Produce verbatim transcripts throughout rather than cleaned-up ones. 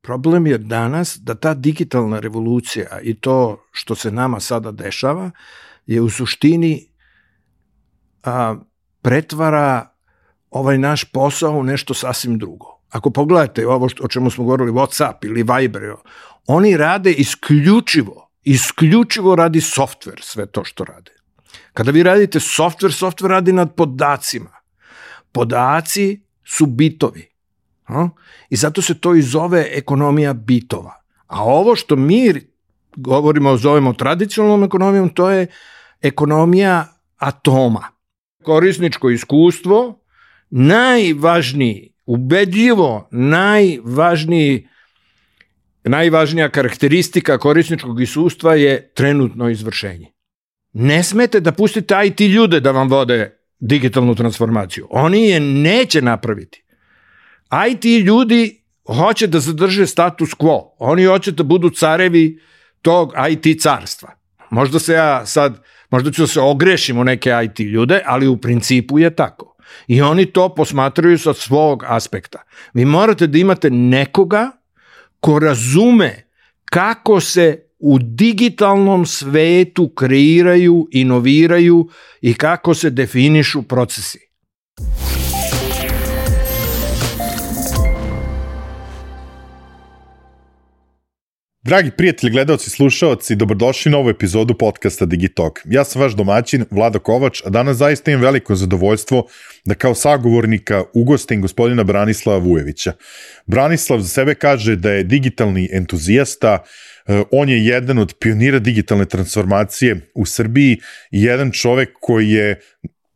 Problem je danas da ta digitalna revolucija i to što se nama sada dešava je u suštini a, pretvara ovaj naš posao u nešto sasvim drugo. Ako pogledate ovo što, o čemu smo govorili, WhatsApp ili Viber, oni rade isključivo, isključivo radi softver, sve to što rade. Kada vi radite softver, softver radi nad podacima. Podaci su bitovi. A? I zato se to i zove ekonomija bitova. A ovo što mi govorimo, zovemo tradicionalnom ekonomijom, to je ekonomija atoma. Korisničko iskustvo, najvažniji, ubedljivo najvažniji, najvažnija karakteristika korisničkog iskustva je trenutno izvršenje. Ne smete da pustite I T ljude da vam vode digitalnu transformaciju. Oni je neće napraviti. I T ljudi hoće da zadrže status quo. Oni hoće da budu carevi tog I T carstva. Možda se ja sad, možda ću da se ogrešim u neke I T ljude, ali u principu je tako. I oni to posmatraju sa svog aspekta. Vi morate da imate nekoga ko razume kako se u digitalnom svetu kreiraju, inoviraju i kako se definišu procesi. Dragi prijatelji, gledalci, slušaoci, dobrodošli na ovu epizodu podcasta Digitalk. Ja sam vaš domaćin, Vlado Kovač, a danas zaista imam veliko zadovoljstvo da kao sagovornika ugostim gospodina Branislava Vujevića. Branislav za sebe kaže da je digitalni entuzijasta, on je jedan od pionira digitalne transformacije u Srbiji i jedan čovek koji je,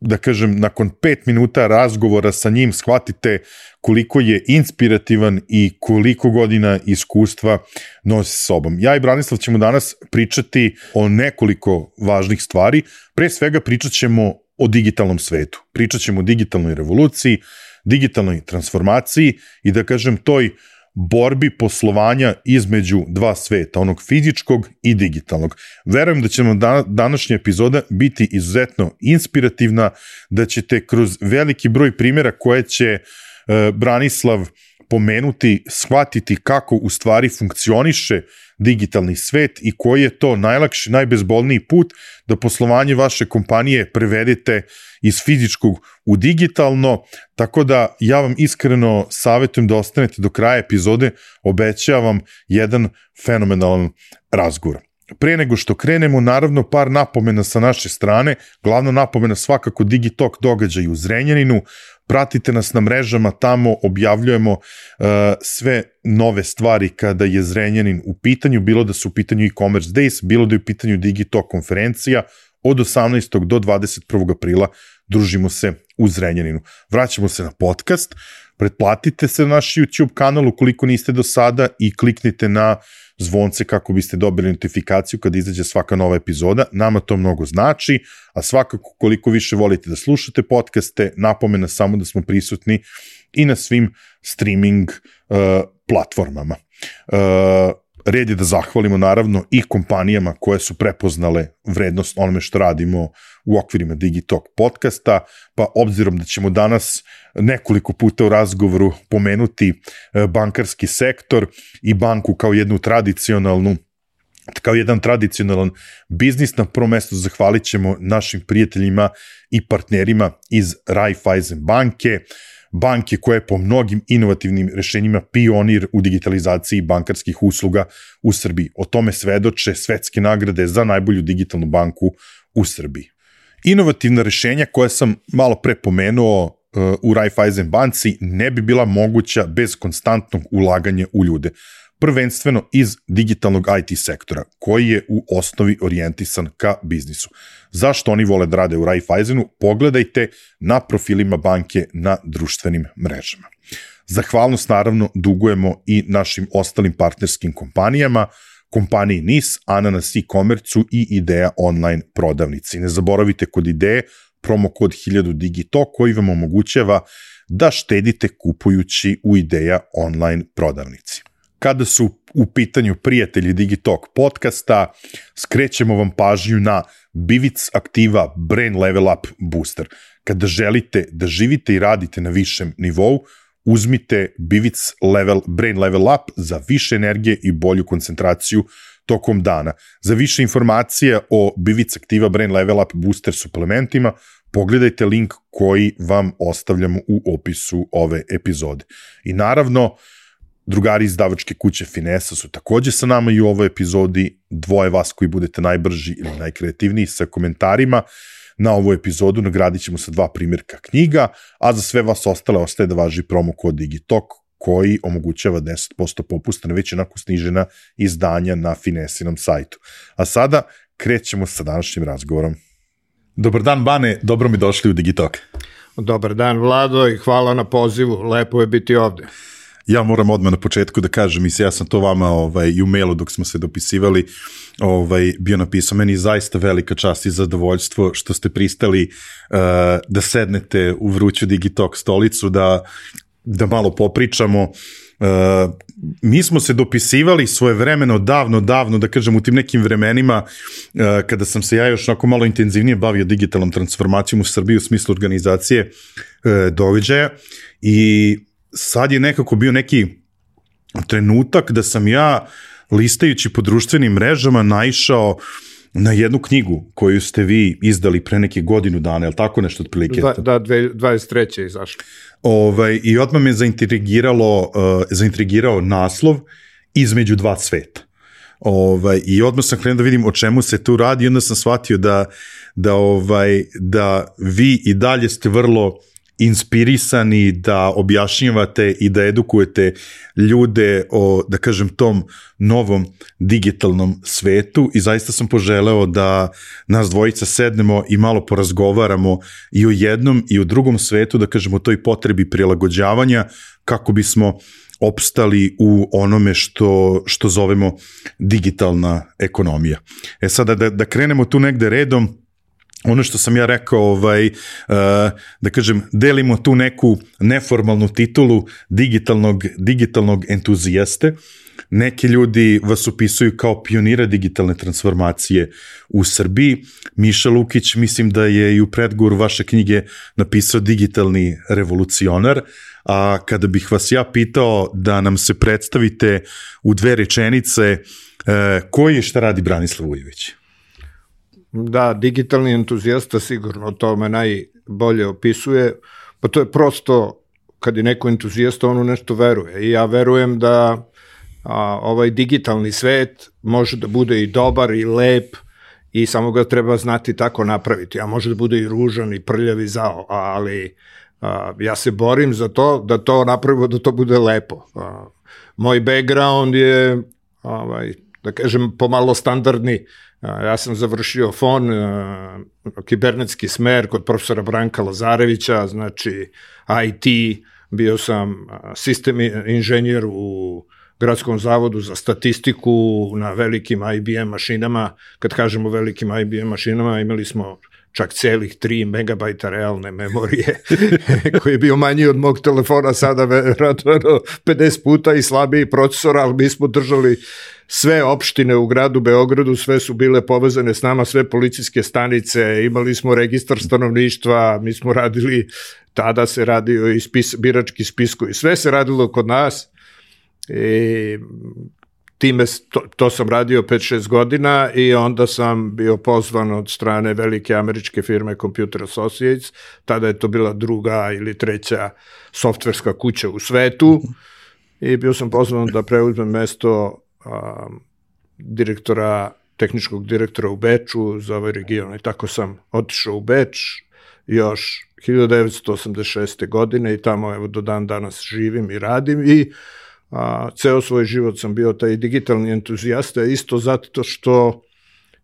da kažem, nakon pet minuta razgovora sa njim shvatite koliko je inspirativan i koliko godina iskustva nosi sa sobom. Ja i Branislav ćemo danas pričati o nekoliko važnih stvari. Pre svega pričat ćemo o digitalnom svetu. Pričat ćemo o digitalnoj revoluciji, digitalnoj transformaciji i da kažem toj borbi poslovanja između dva sveta, onog fizičkog i digitalnog. Verujem da će vam današnja epizoda biti izuzetno inspirativna, da ćete kroz veliki broj primjera koje će Branislav pomenuti, shvatiti kako u stvari funkcioniše digitalni svet i koji je to najlakši, najbezbolniji put da poslovanje vaše kompanije prevedete iz fizičkog u digitalno, tako da ja vam iskreno savjetujem da ostanete do kraja epizode, obećavam jedan fenomenalan razgovor. Pre nego što krenemo, naravno par napomena sa naše strane, glavna napomena svakako Digitalk događaj u Zrenjaninu, pratite nas na mrežama, tamo objavljujemo uh, sve nove stvari kada je Zrenjanin u pitanju, bilo da su u pitanju e-commerce days, bilo da je u pitanju Digitalk konferencija, od osamnaestog do dvadeset prvog aprila družimo se u Zrenjaninu. Vraćamo se na podcast, pretplatite se na naš YouTube kanal ukoliko niste do sada i kliknite na zvonce kako biste dobili notifikaciju kada izađe svaka nova epizoda. Nama to mnogo znači, a svakako koliko više volite da slušate podcaste, napomena samo da smo prisutni i na svim streaming uh, platformama. Uh, red je da zahvalimo naravno i kompanijama koje su prepoznale vrednost onome što radimo u okvirima Digitalk podcasta, pa obzirom da ćemo danas nekoliko puta u razgovoru pomenuti bankarski sektor i banku kao jednu tradicionalnu kao jedan tradicionalan biznis, na prvom mestu zahvalit ćemo našim prijateljima i partnerima iz Raiffeisen banke, banke koja je po mnogim inovativnim rešenjima pionir u digitalizaciji bankarskih usluga u Srbiji. O tome svedoče svetske nagrade za najbolju digitalnu banku u Srbiji. Inovativna rešenja koja sam malo pre pomenuo uh, u Raiffeisen banci ne bi bila moguća bez konstantnog ulaganja u ljude. Prvenstveno iz digitalnog I T sektora, koji je u osnovi orijentisan ka biznisu. Zašto oni vole da rade u Raiffeisenu? Pogledajte na profilima banke na društvenim mrežama. Zahvalnost naravno dugujemo i našim ostalim partnerskim kompanijama, kompaniji N I S, Ananas e-commerce i Ideja online prodavnici. Ne zaboravite kod Ideje promo kod hiljadu Digitalk koji vam omogućava da štedite kupujući u Ideja online prodavnici. Kada su u pitanju prijatelji Digitalk podcasta, skrećemo vam pažnju na Bivic Aktiva Brain Level Up Booster. Kada želite da živite i radite na višem nivou, uzmite Bivic level, Brain Level Up za više energije i bolju koncentraciju tokom dana. Za više informacija o Bivic Activa Brain Level Up booster suplementima pogledajte link koji vam ostavljamo u opisu ove epizode. I naravno, drugari iz izdavačke kuće Finesa su takođe sa nama i u ovoj epizodi, dvoje vas koji budete najbrži ili najkreativniji sa komentarima na ovu epizodu nagradit ćemo sa dva primjerka knjiga, a za sve vas ostale ostaje da važi promo kod Digitalk koji omogućava deset posto popusta na već onako snižena izdanja na Finesinom sajtu. A sada krećemo sa današnjim razgovorom. Dobar dan, Bane, dobro mi došli u Digitalk. Dobar dan, Vlado, i hvala na pozivu, lepo je biti ovde. Ja moram odmah na početku da kažem, ja sam to vama ovaj, i u mailu dok smo se dopisivali ovaj, bio napisao, meni je zaista velika čast i zadovoljstvo što ste pristali uh, da sednete u vruću Digitalk stolicu, da, da malo popričamo. Uh, mi smo se dopisivali svojevremeno, davno, davno, da kažem u tim nekim vremenima uh, kada sam se ja još onako malo intenzivnije bavio digitalnom transformacijom u Srbiji u smislu organizacije uh, događaja i sad je nekako bio neki trenutak da sam ja, listajući po društvenim mrežama, naišao na jednu knjigu koju ste vi izdali pre neke godinu dana, je li tako nešto otprilike? Da, da dvadeset treće je izašlo. Ovaj, I odmah me zaintrigiralo, uh, zaintrigirao naslov Između dva sveta. Ovaj, I odmah sam krenuo da vidim o čemu se tu radi i onda sam shvatio da, da, ovaj, da vi i dalje ste vrlo inspirisani da objašnjavate i da edukujete ljude o, da kažem, tom novom digitalnom svetu i zaista sam poželeo da nas dvojica sednemo i malo porazgovaramo i o jednom i o drugom svetu, da kažemo, o toj potrebi prilagođavanja kako bismo opstali u onome što, što zovemo digitalna ekonomija. E sada da, da krenemo tu negde redom. Ono što sam ja rekao, ovaj, da kažem, delimo tu neku neformalnu titulu digitalnog, digitalnog entuzijaste. Neki ljudi vas upisuju kao pionira digitalne transformacije u Srbiji. Miša Lukić, mislim da je i u predgovoru vaše knjige napisao digitalni revolucionar, a kada bih vas ja pitao da nam se predstavite u dve rečenice, koji je šta radi Branislav Vujović? Da, digitalni entuzijasta sigurno to me najbolje opisuje, pa to je prosto kad je neko entuzijasta on u nešto veruje i ja verujem da a, ovaj digitalni svet može da bude i dobar i lep i samo ga treba znati tako napraviti, a može da bude i ružan i prljav i zao, ali a, ja se borim za to da to napravimo, da to bude lepo. A, moj background je, ovaj, da kažem, pomalo standardni. Ja sam završio F O N, kibernetski smer kod profesora Branka Lazarevića, znači I T, bio sam sistem inženjer u Gradskom zavodu za statistiku na velikim I B M mašinama. Kad kažemo velikim I B M mašinama, imali smo čak celih tri megabajta realne memorije, koji je bio manji od mog telefona, sada verovatno pedeset puta i slabiji procesor, ali mi smo držali sve opštine u gradu Beogradu, sve su bile povezane s nama, sve policijske stanice, imali smo registar stanovništva, mi smo radili, tada se radio i spis, birački spiskovi, sve se radilo kod nas i time, to, to sam radio pet šest godina i onda sam bio pozvan od strane velike američke firme Computer Associates, tada je to bila druga ili treća softverska kuća u svetu i bio sam pozvan da preuzmem mesto um, direktora, tehničkog direktora u Beču za ovaj region i tako sam otišao u Beč još hiljadu devetsto osamdeset šeste. godine i tamo evo do dan danas živim i radim i a, ceo svoj život sam bio taj digitalni entuzijasta isto zato što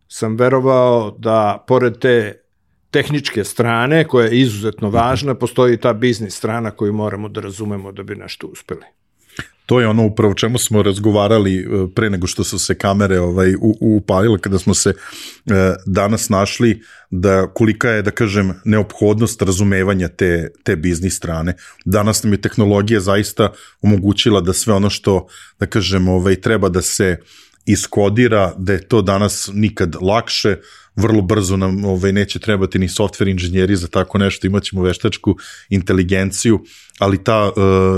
sam verovao da pored te tehničke strane koja je izuzetno važna, postoji ta biznis strana koju moramo da razumemo da bi nešto uspeli. To je ono upravo čemu smo razgovarali pre nego što su se kamere ovaj, upalile, kada smo se e, danas našli, da kolika je, da kažem, neophodnost razumevanja te, te biznis strane. Danas nam je tehnologija zaista omogućila da sve ono što, da kažem, ovaj, treba da se iskodira, da je to danas nikad lakše, vrlo brzo nam ovaj, neće trebati ni software inženjeri za tako nešto, imat ćemo veštačku inteligenciju, ali ta uh,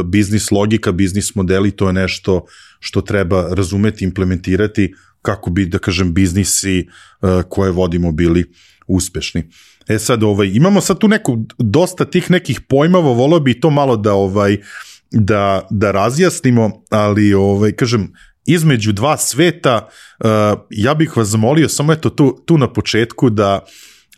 biznis logika, biznis modeli, to je nešto što treba razumeti, implementirati kako bi, da kažem, biznisi uh, koje vodimo bili uspešni. E sad, ovaj, imamo sad tu neku, dosta tih nekih pojmova, volio bi to malo da, ovaj, da, da razjasnimo, ali, ovaj, kažem, između dva sveta, uh, ja bih vas zamolio samo eto tu, tu na početku da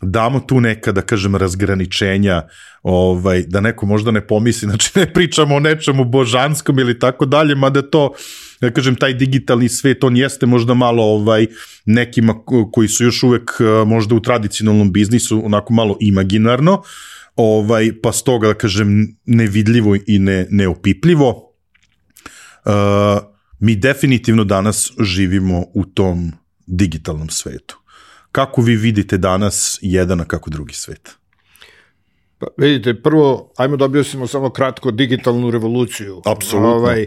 damo tu neka, da kažem, razgraničenja, ovaj, da neko možda ne pomisli, znači ne pričamo o nečemu božanskom ili tako dalje, mada to, da kažem, taj digitalni svet, on jeste možda malo ovaj, nekima koji su još uvek možda u tradicionalnom biznisu, onako malo imaginarno, ovaj, pa stoga, da kažem, nevidljivo i ne, neopipljivo. Uh, mi definitivno danas živimo u tom digitalnom svetu. Kako vi vidite danas jedan, a kako drugi svet? Pa, vidite, prvo, ajmo da objasnimo samo kratko digitalnu revoluciju. Apsolutno. Ovaj,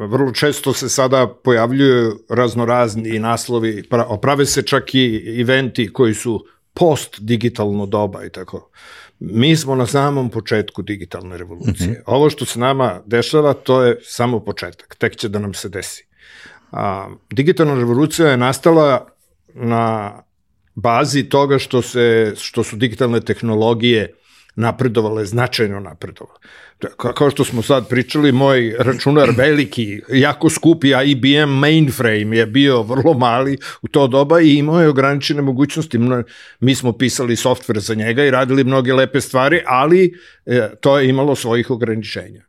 vrlo često se sada pojavljuju raznorazni naslovi, prave se čak i eventi koji su post-digitalno doba i tako. Mi smo na samom početku digitalne revolucije. Mm-hmm. Ovo što se nama dešava, to je samo početak. Tek će da nam se desi. A, digitalna revolucija je nastala na bazi toga što, se, što su digitalne tehnologije napredovale, značajno napredovale. Kao što smo sad pričali, moj računar veliki, jako skupi I B M mainframe je bio vrlo mali u to doba i imao je ograničene mogućnosti. Mi smo pisali software za njega i radili mnoge lepe stvari, ali to je imalo svojih ograničenja.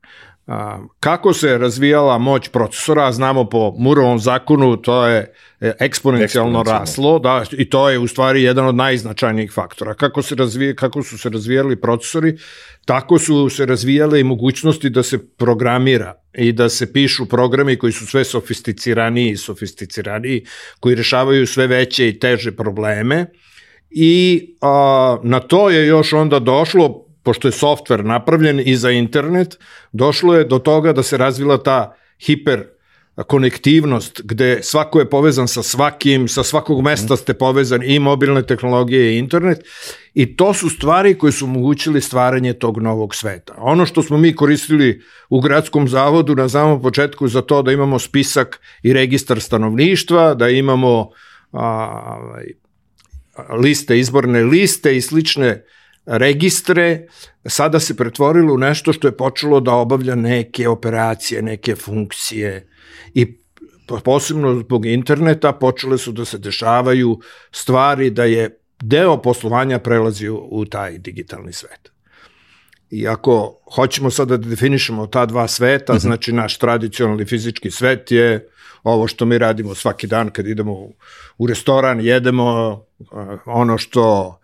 Kako se razvijala moć procesora, znamo po Mooreovom zakonu, to je eksponencijalno raslo, da, i to je u stvari jedan od najznačajnijih faktora. Kako se razvije, kako su se razvijali procesori, tako su se razvijale i mogućnosti da se programira i da se pišu programi koji su sve sofisticiraniji i sofisticiraniji, koji rešavaju sve veće i teže probleme i a, na to je još onda došlo, pošto je softver napravljen i za internet, došlo je do toga da se razvila ta hiperkonektivnost, gde svako je povezan sa svakim, sa svakog mesta ste povezani, i mobilne tehnologije i internet, i to su stvari koje su omogućili stvaranje tog novog sveta. Ono što smo mi koristili u gradskom zavodu na samom početku za to da imamo spisak i registar stanovništva, da imamo a, liste, izborne liste i slične registre, sada se pretvorilo u nešto što je počelo da obavlja neke operacije, neke funkcije i posebno zbog interneta počele su da se dešavaju stvari da je deo poslovanja prelazi u, u taj digitalni svet. I ako hoćemo sada da definišemo ta dva sveta, mm-hmm. znači naš tradicionalni fizički svet je ovo što mi radimo svaki dan kad idemo u, u restoran, jedemo ono što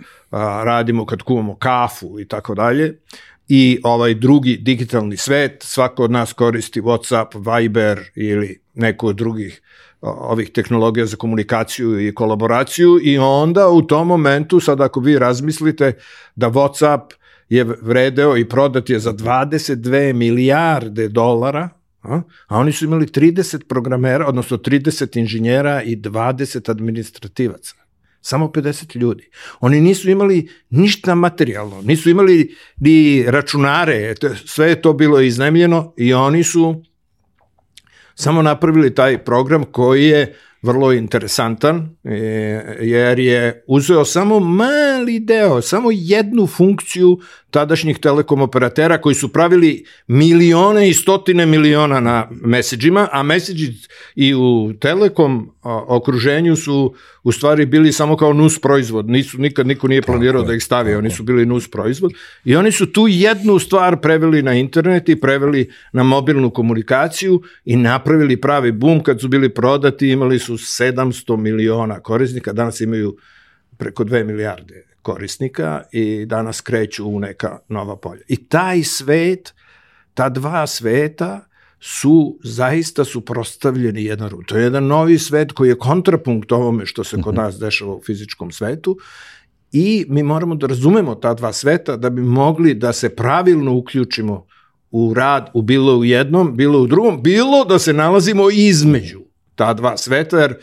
radimo kad kuvamo kafu i tako dalje. I ovaj drugi digitalni svet, svako od nas koristi WhatsApp, Viber ili neku od drugih ovih tehnologija za komunikaciju i kolaboraciju i onda u tom momentu, sad ako vi razmislite da WhatsApp je vredeo i prodat je za dvadeset dve milijarde dolara, a, a oni su imali trideset programera, odnosno trideset inženjera i dvadeset administrativaca. Samo pedeset ljudi. Oni nisu imali ništa materijalno, nisu imali ni računare, sve je to bilo iznajmljeno i oni su samo napravili taj program koji je vrlo interesantan, jer je uzeo samo mali deo, samo jednu funkciju tadašnjih telekom operatera koji su pravili milione i stotine miliona na meseđima, a meseđi i u telekom okruženju su u stvari bili samo kao nus proizvod, nisu, nikad niko nije planirao da ih stavi, oni su bili nus proizvod i oni su tu jednu stvar preveli na internet i preveli na mobilnu komunikaciju i napravili pravi boom kad su bili prodati, imali su sedamsto miliona korisnika, danas imaju preko dve milijarde korisnika i danas kreću u neka nova polja. I taj svet, ta dva sveta su zaista suprotstavljeni jedan drugom. To je jedan novi svet koji je kontrapunkt ovome što se kod nas dešava u fizičkom svetu i mi moramo da razumemo ta dva sveta da bi mogli da se pravilno uključimo u rad, u bilo u jednom, bilo u drugom, bilo da se nalazimo između ta dva sveta, jer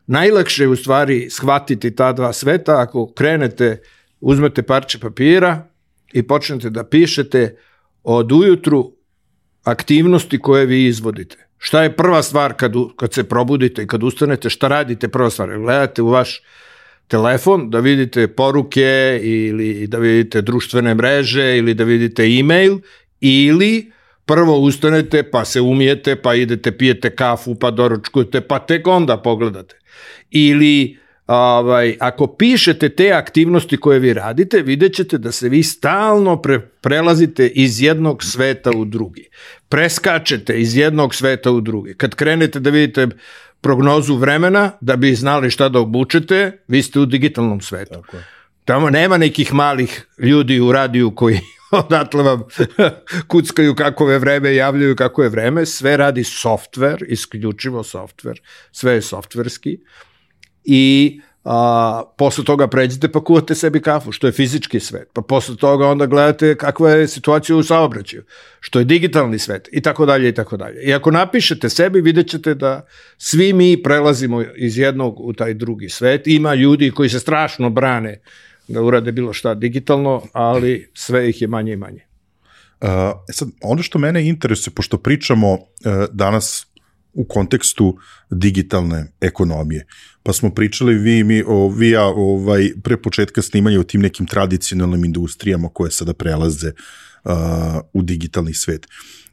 najlakše je u stvari shvatiti ta dva sveta ako krenete, uzmete parče papira i počnete da pišete od ujutru aktivnosti koje vi izvodite. Šta je prva stvar kad, kad se probudite i kad ustanete, šta radite prva stvar? Gledate u vaš telefon da vidite poruke ili da vidite društvene mreže ili da vidite e-mail ili prvo ustanete pa se umijete pa idete pijete kafu pa doručkujete pa tek onda pogledate. Ili ovaj, ako pišete te aktivnosti koje vi radite, vidjet ćete da se vi stalno pre, prelazite iz jednog sveta u drugi. Preskačete iz jednog sveta u drugi. Kad krenete da vidite prognozu vremena, da bi znali šta da obučete, vi ste u digitalnom svetu. Tako je. Tamo nema nekih malih ljudi u radiju koji odatle vam kuckaju kako je vreme, javljaju kako je vreme. Sve radi softver, isključivo softver. Sve je softverski. I a, posle toga pređete pa kuvate sebi kafu, što je fizički svet. Pa posle toga onda gledate kakva je situacija u saobraćaju, što je digitalni svet i tako dalje i tako dalje. I ako napišete sebi, vidjet ćete da svi mi prelazimo iz jednog u taj drugi svet. Ima ljudi koji se strašno brane da urade bilo šta digitalno, ali sve ih je manje i manje. Uh, sad, ono što mene interesuje, pošto pričamo uh, danas u kontekstu digitalne ekonomije, pa smo pričali vi, mi, o, vi ja, ovaj, pre početka snimanja o tim nekim tradicionalnim industrijama koje sada prelaze uh, u digitalni svet.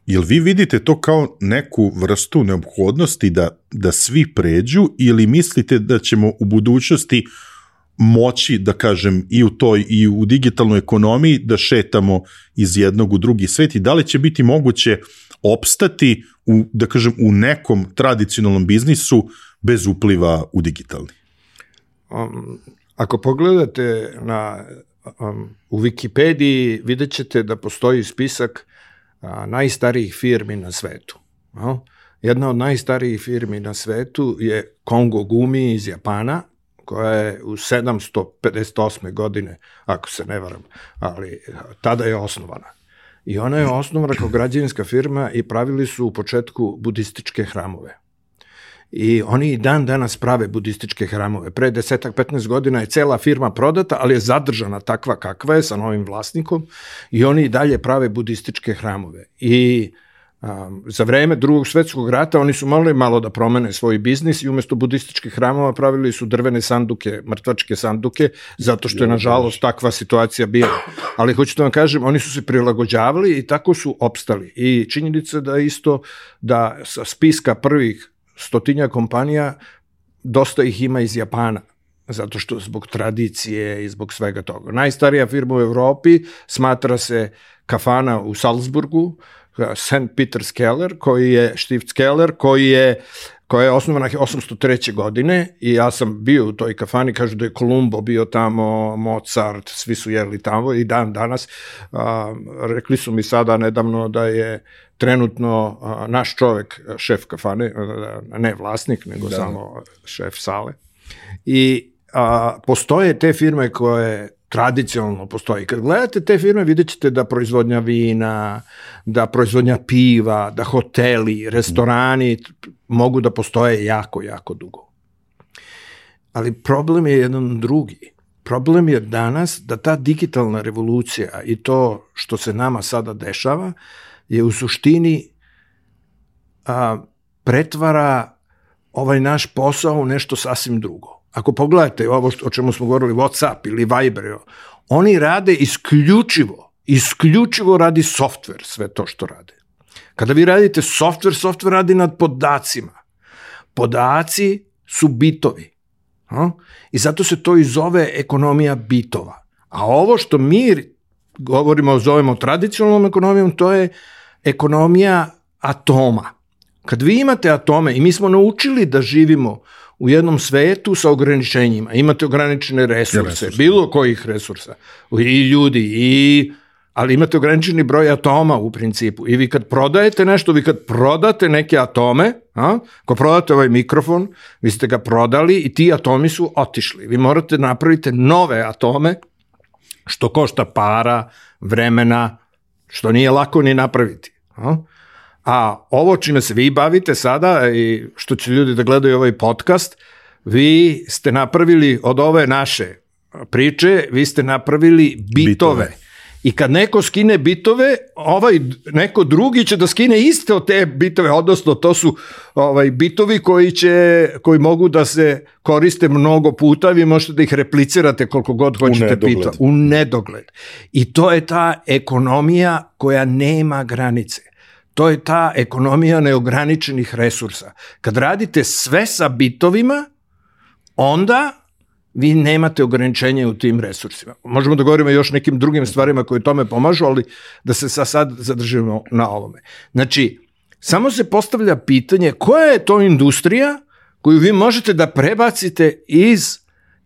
Jel vi vidite to kao neku vrstu neophodnosti da, da svi pređu ili mislite da ćemo u budućnosti moći, da kažem, i u toj i u digitalnoj ekonomiji da šetamo iz jednog u drugi svet i da li će biti moguće opstati u, da kažem, u nekom tradicionalnom biznisu bez upliva u digitalni? Um, ako pogledate na, um, u Wikipediji, vidjet ćete da postoji spisak a, najstarijih firmi na svetu. No? Jedna od najstarijih firmi na svetu je Kongo Gumi iz Japana, koja je u sedamsto pedeset osme godine, ako se ne varam, ali tada je osnovana. I ona je osnovana kao građevinska firma i pravili su u početku budističke hramove. I oni i dan danas prave budističke hramove. Pre desetak, petnaest godina je cela firma prodata, ali je zadržana takva kakva je sa novim vlasnikom i oni i dalje prave budističke hramove. I Um, za vreme Drugog svetskog rata oni su morali malo da promene svoj biznis i umjesto budističkih hramova pravili su drvene sanduke, mrtvačke sanduke, zato što je nažalost takva situacija bila. Ali hoću da vam kažem, oni su se prilagođavali i tako su opstali. I činjenica da isto da sa spiska prvih stotinja kompanija dosta ih ima iz Japana, zato što zbog tradicije i zbog svega toga. Najstarija firma u Evropi smatra se kafana u Salzburgu, Saint Peter's Keller, koji je Stifts Keller, koji je koja je osnovana osamsto treće godine i ja sam bio u toj kafani, kažu da je Kolumbo bio tamo, Mozart, svi su jeli tamo i dan danas. A, rekli su mi sada nedavno da je trenutno a, naš čovek šef kafane, ne vlasnik, nego da. Samo šef sale. I a, postoje te firme koje tradicionalno postoji. Kad gledate te firme, vidjet ćete da proizvodnja vina, da proizvodnja piva, da hoteli, restorani mogu da postoje jako, jako dugo. Ali problem je jedan drugi. Problem je danas da ta digitalna revolucija i to što se nama sada dešava je u suštini a, pretvara ovaj naš posao u nešto sasvim drugo. Ako pogledate ovo što, o čemu smo govorili, WhatsApp ili Viber, oni rade isključivo, isključivo radi softver, sve to što rade. Kada vi radite softver, softver radi nad podacima. Podaci su bitovi. A? I zato se to i zove ekonomija bitova. A ovo što mi govorimo, zovemo tradicionalnom ekonomijom, to je ekonomija atoma. Kad vi imate atome, i mi smo naučili da živimo u jednom svetu sa ograničenjima, imate ograničene resurse, resurse. Bilo kojih resursa, i ljudi, i, ali imate ograničeni broj atoma u principu. I vi kad prodajete nešto, vi kad prodate neke atome, a, ako prodate ovaj mikrofon, vi ste ga prodali i ti atomi su otišli. Vi morate napraviti nove atome, što košta para, vremena, što nije lako ni napraviti. A? A ovo čime se vi bavite sada i što će ljudi da gledaju ovaj podcast, vi ste napravili od ove naše priče, vi ste napravili bitove. bitove. I kad neko skine bitove, ovaj neko drugi će da skine iste od te bitove, odnosno to su ovaj bitovi koji će koji mogu da se koriste mnogo puta, vi možete da ih replicirate koliko god hoćete pita, u nedogled. I to je ta ekonomija koja nema granice. To je ta ekonomija neograničenih resursa. Kad radite sve sa bitovima, onda vi nemate ograničenje u tim resursima. Možemo da govorimo još nekim drugim stvarima koje tome pomažu, ali da se sad zadržimo na ovome. Znači, samo se postavlja pitanje koja je to industrija koju vi možete da prebacite iz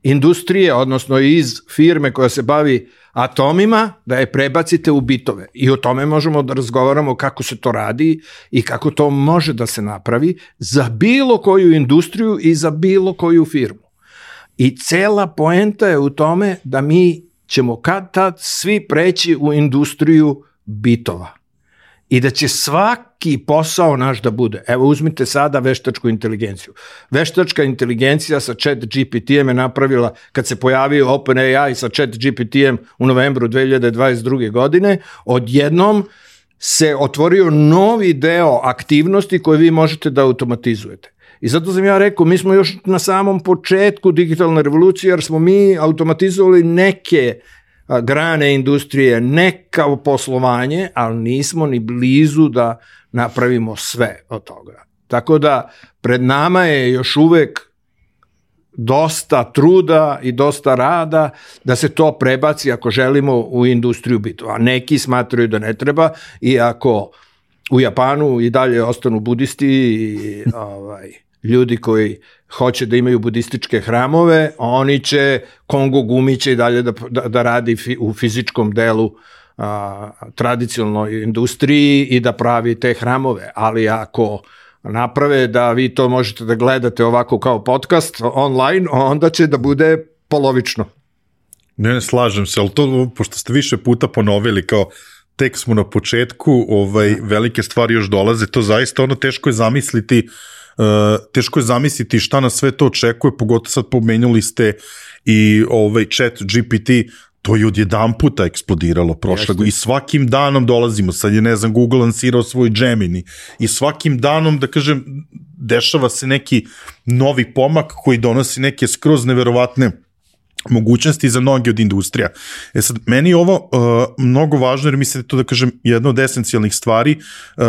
industrije, odnosno iz firme koja se bavi atomima, da je prebacite u bitove. I o tome možemo da razgovaramo kako se to radi i kako to može da se napravi za bilo koju industriju i za bilo koju firmu. I cela poenta je u tome da mi ćemo kad tad svi preći u industriju bitova. I da će svaki posao naš da bude. Evo uzmite sada veštačku inteligenciju. Veštačka inteligencija sa Chat G P T-em je napravila, kad se pojavio OpenAI sa Chat G P T-em u novembru dve hiljade dvadeset druge. godine, odjednom se otvorio novi deo aktivnosti koje vi možete da automatizujete. I zato sam ja rekao, mi smo još na samom početku digitalne revolucije, jer smo mi automatizovali neke grane industrije, neka poslovanje, ali nismo ni blizu da napravimo sve od toga. Tako da pred nama je još uvek dosta truda i dosta rada da se to prebaci ako želimo u industriju bitova. Neki smatraju da ne treba, iako u Japanu i dalje ostanu budisti i ovaj, ljudi koji hoće da imaju budističke hramove, oni će, Kongo Gumi će i dalje da, da, da radi fi, u fizičkom delu a, tradicionalnoj industriji i da pravi te hramove, ali ako naprave da vi to možete da gledate ovako kao podcast online, onda će da bude polovično. Ne, ne slažem se, ali to, pošto ste više puta ponovili kao tek smo na početku, ovaj, velike stvari još dolaze, to zaista ono teško je zamisliti Uh, teško je zamisliti šta nas sve to očekuje, pogotovo sad pomenuli ste i ovaj Chat G P T, to je odjedan puta eksplodiralo prošle i svakim danom dolazimo, sad je ne znam Google lansirao svoj Gemini i svakim danom da kažem dešava se neki novi pomak koji donosi neke skroz neverovatne mogućnosti za mnoge od industrija. E sad, meni je ovo uh, mnogo važno jer mislim da je to da kažem jedna od esencijalnih stvari, uh,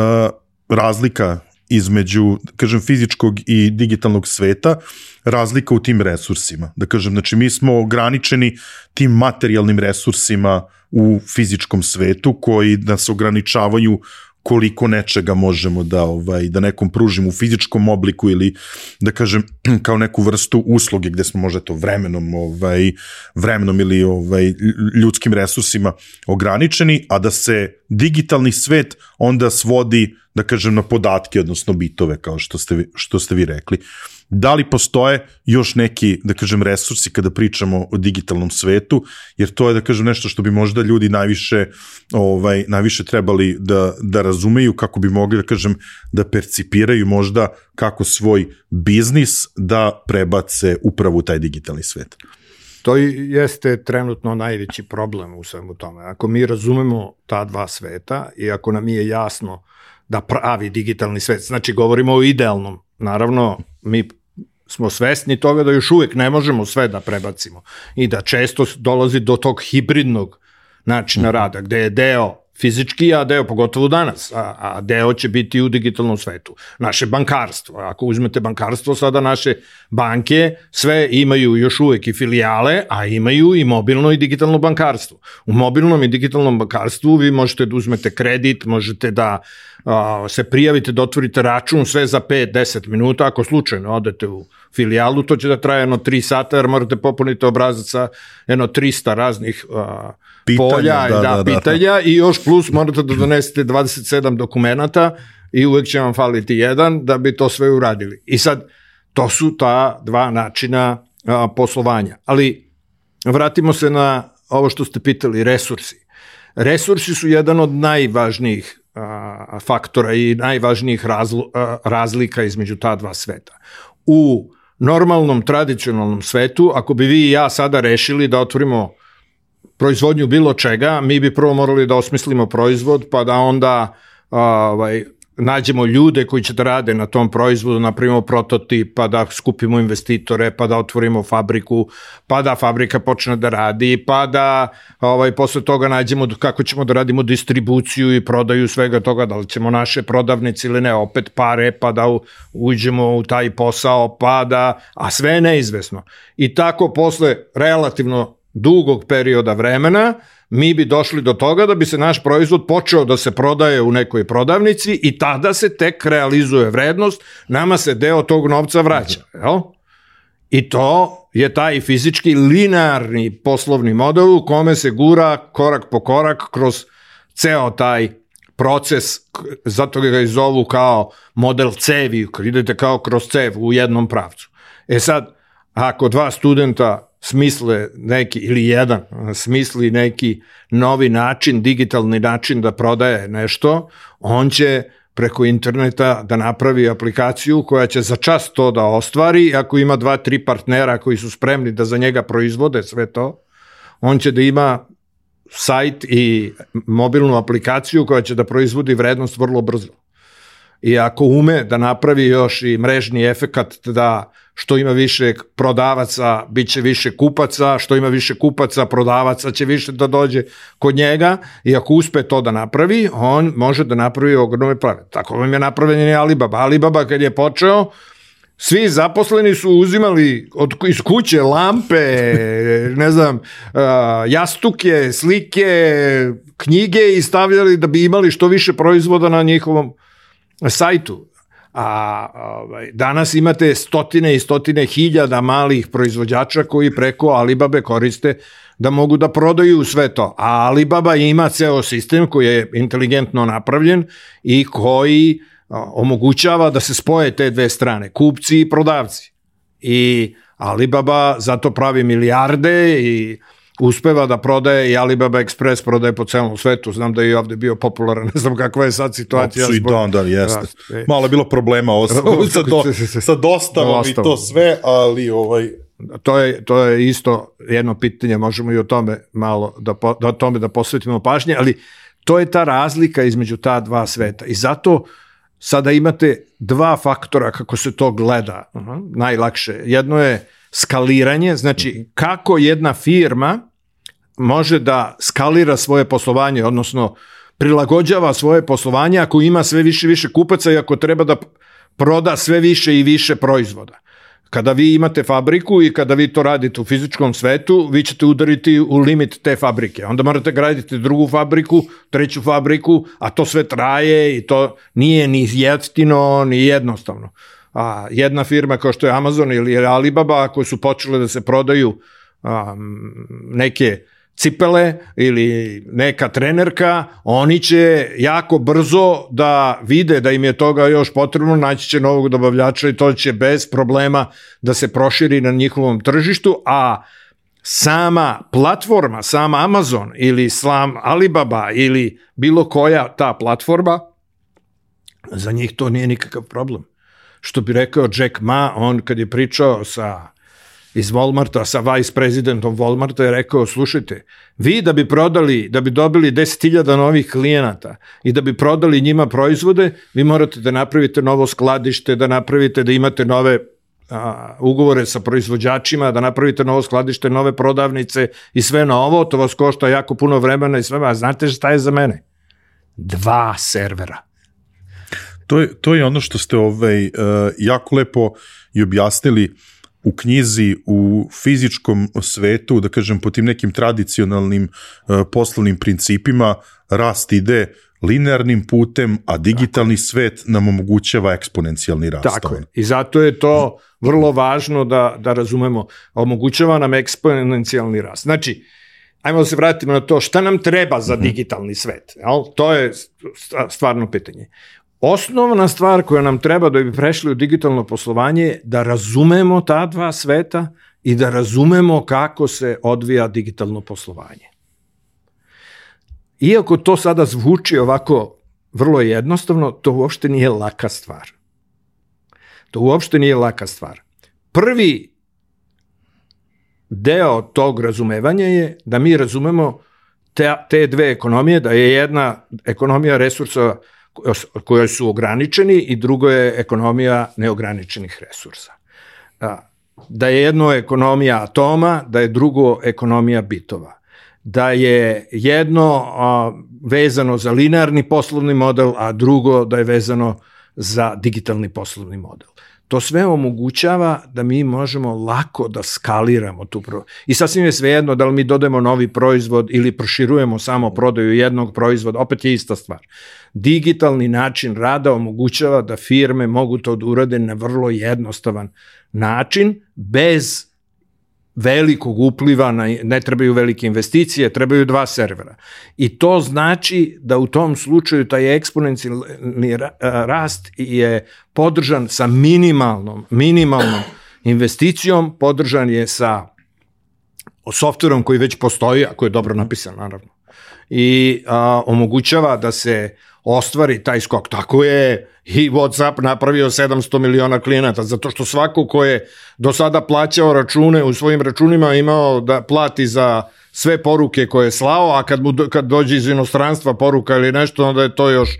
razlika između, da kažem, fizičkog i digitalnog sveta, razlika u tim resursima. Da kažem, znači mi smo ograničeni tim materijalnim resursima u fizičkom svetu koji nas ograničavaju koliko nečega možemo da ovaj da nekom pružimo u fizičkom obliku ili da kažem kao neku vrstu usluge gde smo možda to vremenom ovaj vremenom ili ovaj ljudskim resursima ograničeni, a da se digitalni svet onda svodi da kažem na podatke, odnosno bitove kao što ste vi, što ste vi rekli. Da li postoje još neki, da kažem, resursi kada pričamo o digitalnom svetu, jer to je, da kažem, nešto što bi možda ljudi najviše, ovaj, najviše trebali da, da razumeju, kako bi mogli, da kažem, da percipiraju možda kako svoj biznis da prebace upravo u taj digitalni svet. To jeste trenutno najveći problem u svemu tome. Ako mi razumemo ta dva sveta i ako nam je jasno da pravi digitalni svet, znači govorimo o idealnom, naravno, mi smo svesni toga da još uvijek ne možemo sve da prebacimo i da često dolazi do tog hibridnog načina rada, gde je deo fizički, a deo pogotovo danas, a, a deo će biti u digitalnom svetu. Naše bankarstvo, ako uzmete bankarstvo, sada naše banke sve imaju još uvijek i filijale, a imaju i mobilno i digitalno bankarstvo. U mobilnom i digitalnom bankarstvu vi možete da uzmete kredit, možete da a, se prijavite, da otvorite račun, sve za pet do deset minuta, ako slučajno odete u filijalu, to će da traje jedno tri sata, jer morate popuniti obrazac sa jedno trista raznih a, pitanja, polja da, da, da, pitanja da. I još plus morate da donesete dvadeset sedam dokumenata i uvek će vam faliti jedan da bi to sve uradili. I sad, to su ta dva načina a, poslovanja. Ali vratimo se na ovo što ste pitali, resursi. Resursi su jedan od najvažnijih a, faktora i najvažnijih razlo, a, razlika između ta dva sveta. U normalnom, tradicionalnom svetu, ako bi vi i ja sada rešili da otvorimo proizvodnju bilo čega, mi bi prvo morali da osmislimo proizvod, pa da onda ovaj, nađemo ljude koji će da rade na tom proizvodu, napravimo prototip, pa da skupimo investitore, pa da otvorimo fabriku, pa da fabrika počne da radi, pa da ovaj, posle toga nađemo kako ćemo da radimo distribuciju i prodaju svega toga, da li ćemo naše prodavnice ili ne, opet pare, pa da uđemo u taj posao, pa da, a sve je neizvesno. I tako posle relativno dugog perioda vremena mi bi došli do toga da bi se naš proizvod počeo da se prodaje u nekoj prodavnici i tada se tek realizuje vrednost, nama se deo tog novca vraća. Jel? I to je taj fizički linearni poslovni model u kome se gura korak po korak kroz ceo taj proces, zato ga i zovu kao model cevi, idete kao kroz cev u jednom pravcu. E sad, ako dva studenta smisle neki, ili jedan smisli neki novi način, digitalni način da prodaje nešto, on će preko interneta da napravi aplikaciju koja će za čas to da ostvari. Ako ima dva, tri partnera koji su spremni da za njega proizvode sve to, on će da ima sajt i mobilnu aplikaciju koja će da proizvodi vrednost vrlo brzo. I ako ume da napravi još i mrežni efekat da što ima više prodavaca, bit će više kupaca, što ima više kupaca, prodavaca će više da dođe kod njega i ako uspe to da napravi, on može da napravi ogromne prave. Tako vam je napravljen i Alibaba. Alibaba kad je počeo, svi zaposleni su uzimali od, iz kuće lampe, ne znam, jastuke, slike, knjige i stavljali da bi imali što više proizvoda na njihovom sajtu. A ovaj, danas imate stotine i stotine hiljada malih proizvođača koji preko Alibabe koriste da mogu da prodaju sve to. A Alibaba ima ceo sistem koji je inteligentno napravljen i koji omogućava da se spoje te dve strane, kupci i prodavci. I Alibaba zato pravi milijarde i uspeva da prodaje i Alibaba Express prodaje po celom svetu. Znam da je i ovde bio popularan, ne znam kakva je sad situacija. Su i dan, da, jeste. Malo je bilo problema sa, do, sa dostavom i to sve, ali ovaj... To je, to je isto jedno pitanje, možemo i o tome malo da, da, o tome da posvetimo pažnje, ali to je ta razlika između ta dva sveta. I zato sada imate dva faktora kako se to gleda, uh-huh, najlakše. Jedno je skaliranje, znači kako jedna firma može da skalira svoje poslovanje, odnosno prilagođava svoje poslovanje ako ima sve više i više kupaca i ako treba da proda sve više i više proizvoda. Kada vi imate fabriku i kada vi to radite u fizičkom svetu, vi ćete udariti u limit te fabrike. Onda morate graditi drugu fabriku, treću fabriku, a to sve traje i to nije ni jeftino, ni jednostavno. A jedna firma kao što je Amazon ili Alibaba, koje su počele da se prodaju um, neke cipele ili neka trenerka, oni će jako brzo da vide da im je toga još potrebno, naći će novog dobavljača i to će bez problema da se proširi na njihovom tržištu, a sama platforma, sam Amazon ili sam Alibaba ili bilo koja ta platforma, za njih to nije nikakav problem. Što bi rekao Jack Ma, on kad je pričao sa, iz Walmarta, sa vice presidentom Walmarta, je rekao, slušajte, vi da bi prodali, da bi dobili deset hiljada novih klijenata i da bi prodali njima proizvode, vi morate da napravite novo skladište, da napravite da imate nove a, ugovore sa proizvođačima, da napravite novo skladište, nove prodavnice i sve novo, to vas košta jako puno vremena i sve, a znate šta je za mene? Dva servera. To je, to je ono što ste ovaj, uh, jako lepo i objasnili u knjizi, u fizičkom svetu, da kažem, po tim nekim tradicionalnim uh, poslovnim principima, rast ide linearnim putem, a digitalni svet nam omogućava eksponencijalni rast. Tako je. I zato je to vrlo važno da, da razumemo. Omogućava nam eksponencijalni rast. Znači, ajmo da se vratimo na to šta nam treba za digitalni svet. Jel? To je stvarno pitanje. Osnovna stvar koja nam treba da bi prešli u digitalno poslovanje je da razumemo ta dva sveta i da razumemo kako se odvija digitalno poslovanje. Iako to sada zvuči ovako vrlo jednostavno, to uopšte nije laka stvar. To uopšte nije laka stvar. prvi deo tog razumevanja je da mi razumemo te, te dve ekonomije, da je jedna ekonomija resursa koje su ograničeni i drugo je ekonomija neograničenih resursa. Da je jedno ekonomija atoma, da je drugo ekonomija bitova. Da je jedno a, vezano za linearni poslovni model, a drugo da je vezano za digitalni poslovni model. To sve omogućava da mi možemo lako da skaliramo tu pro... I sasvim je svejedno da li mi dodajemo novi proizvod ili proširujemo samo prodaju jednog proizvoda, opet je ista stvar. Digitalni način rada omogućava da firme mogu to da urade na vrlo jednostavan način, bez velikog upliva, na, ne trebaju velike investicije, trebaju dva servera. I to znači da u tom slučaju taj eksponencijalni rast je podržan sa minimalnom, minimalnom investicijom, podržan je sa softverom koji već postoji, ako je dobro napisan, naravno. I a, omogućava da se ostvari taj skok. Tako je i WhatsApp napravio sedamsto miliona klijenata, zato što svako ko je do sada plaćao račune u svojim računima imao da plati za sve poruke koje je slao, a kad, mu, kad dođe iz inostranstva poruka ili nešto, onda je to još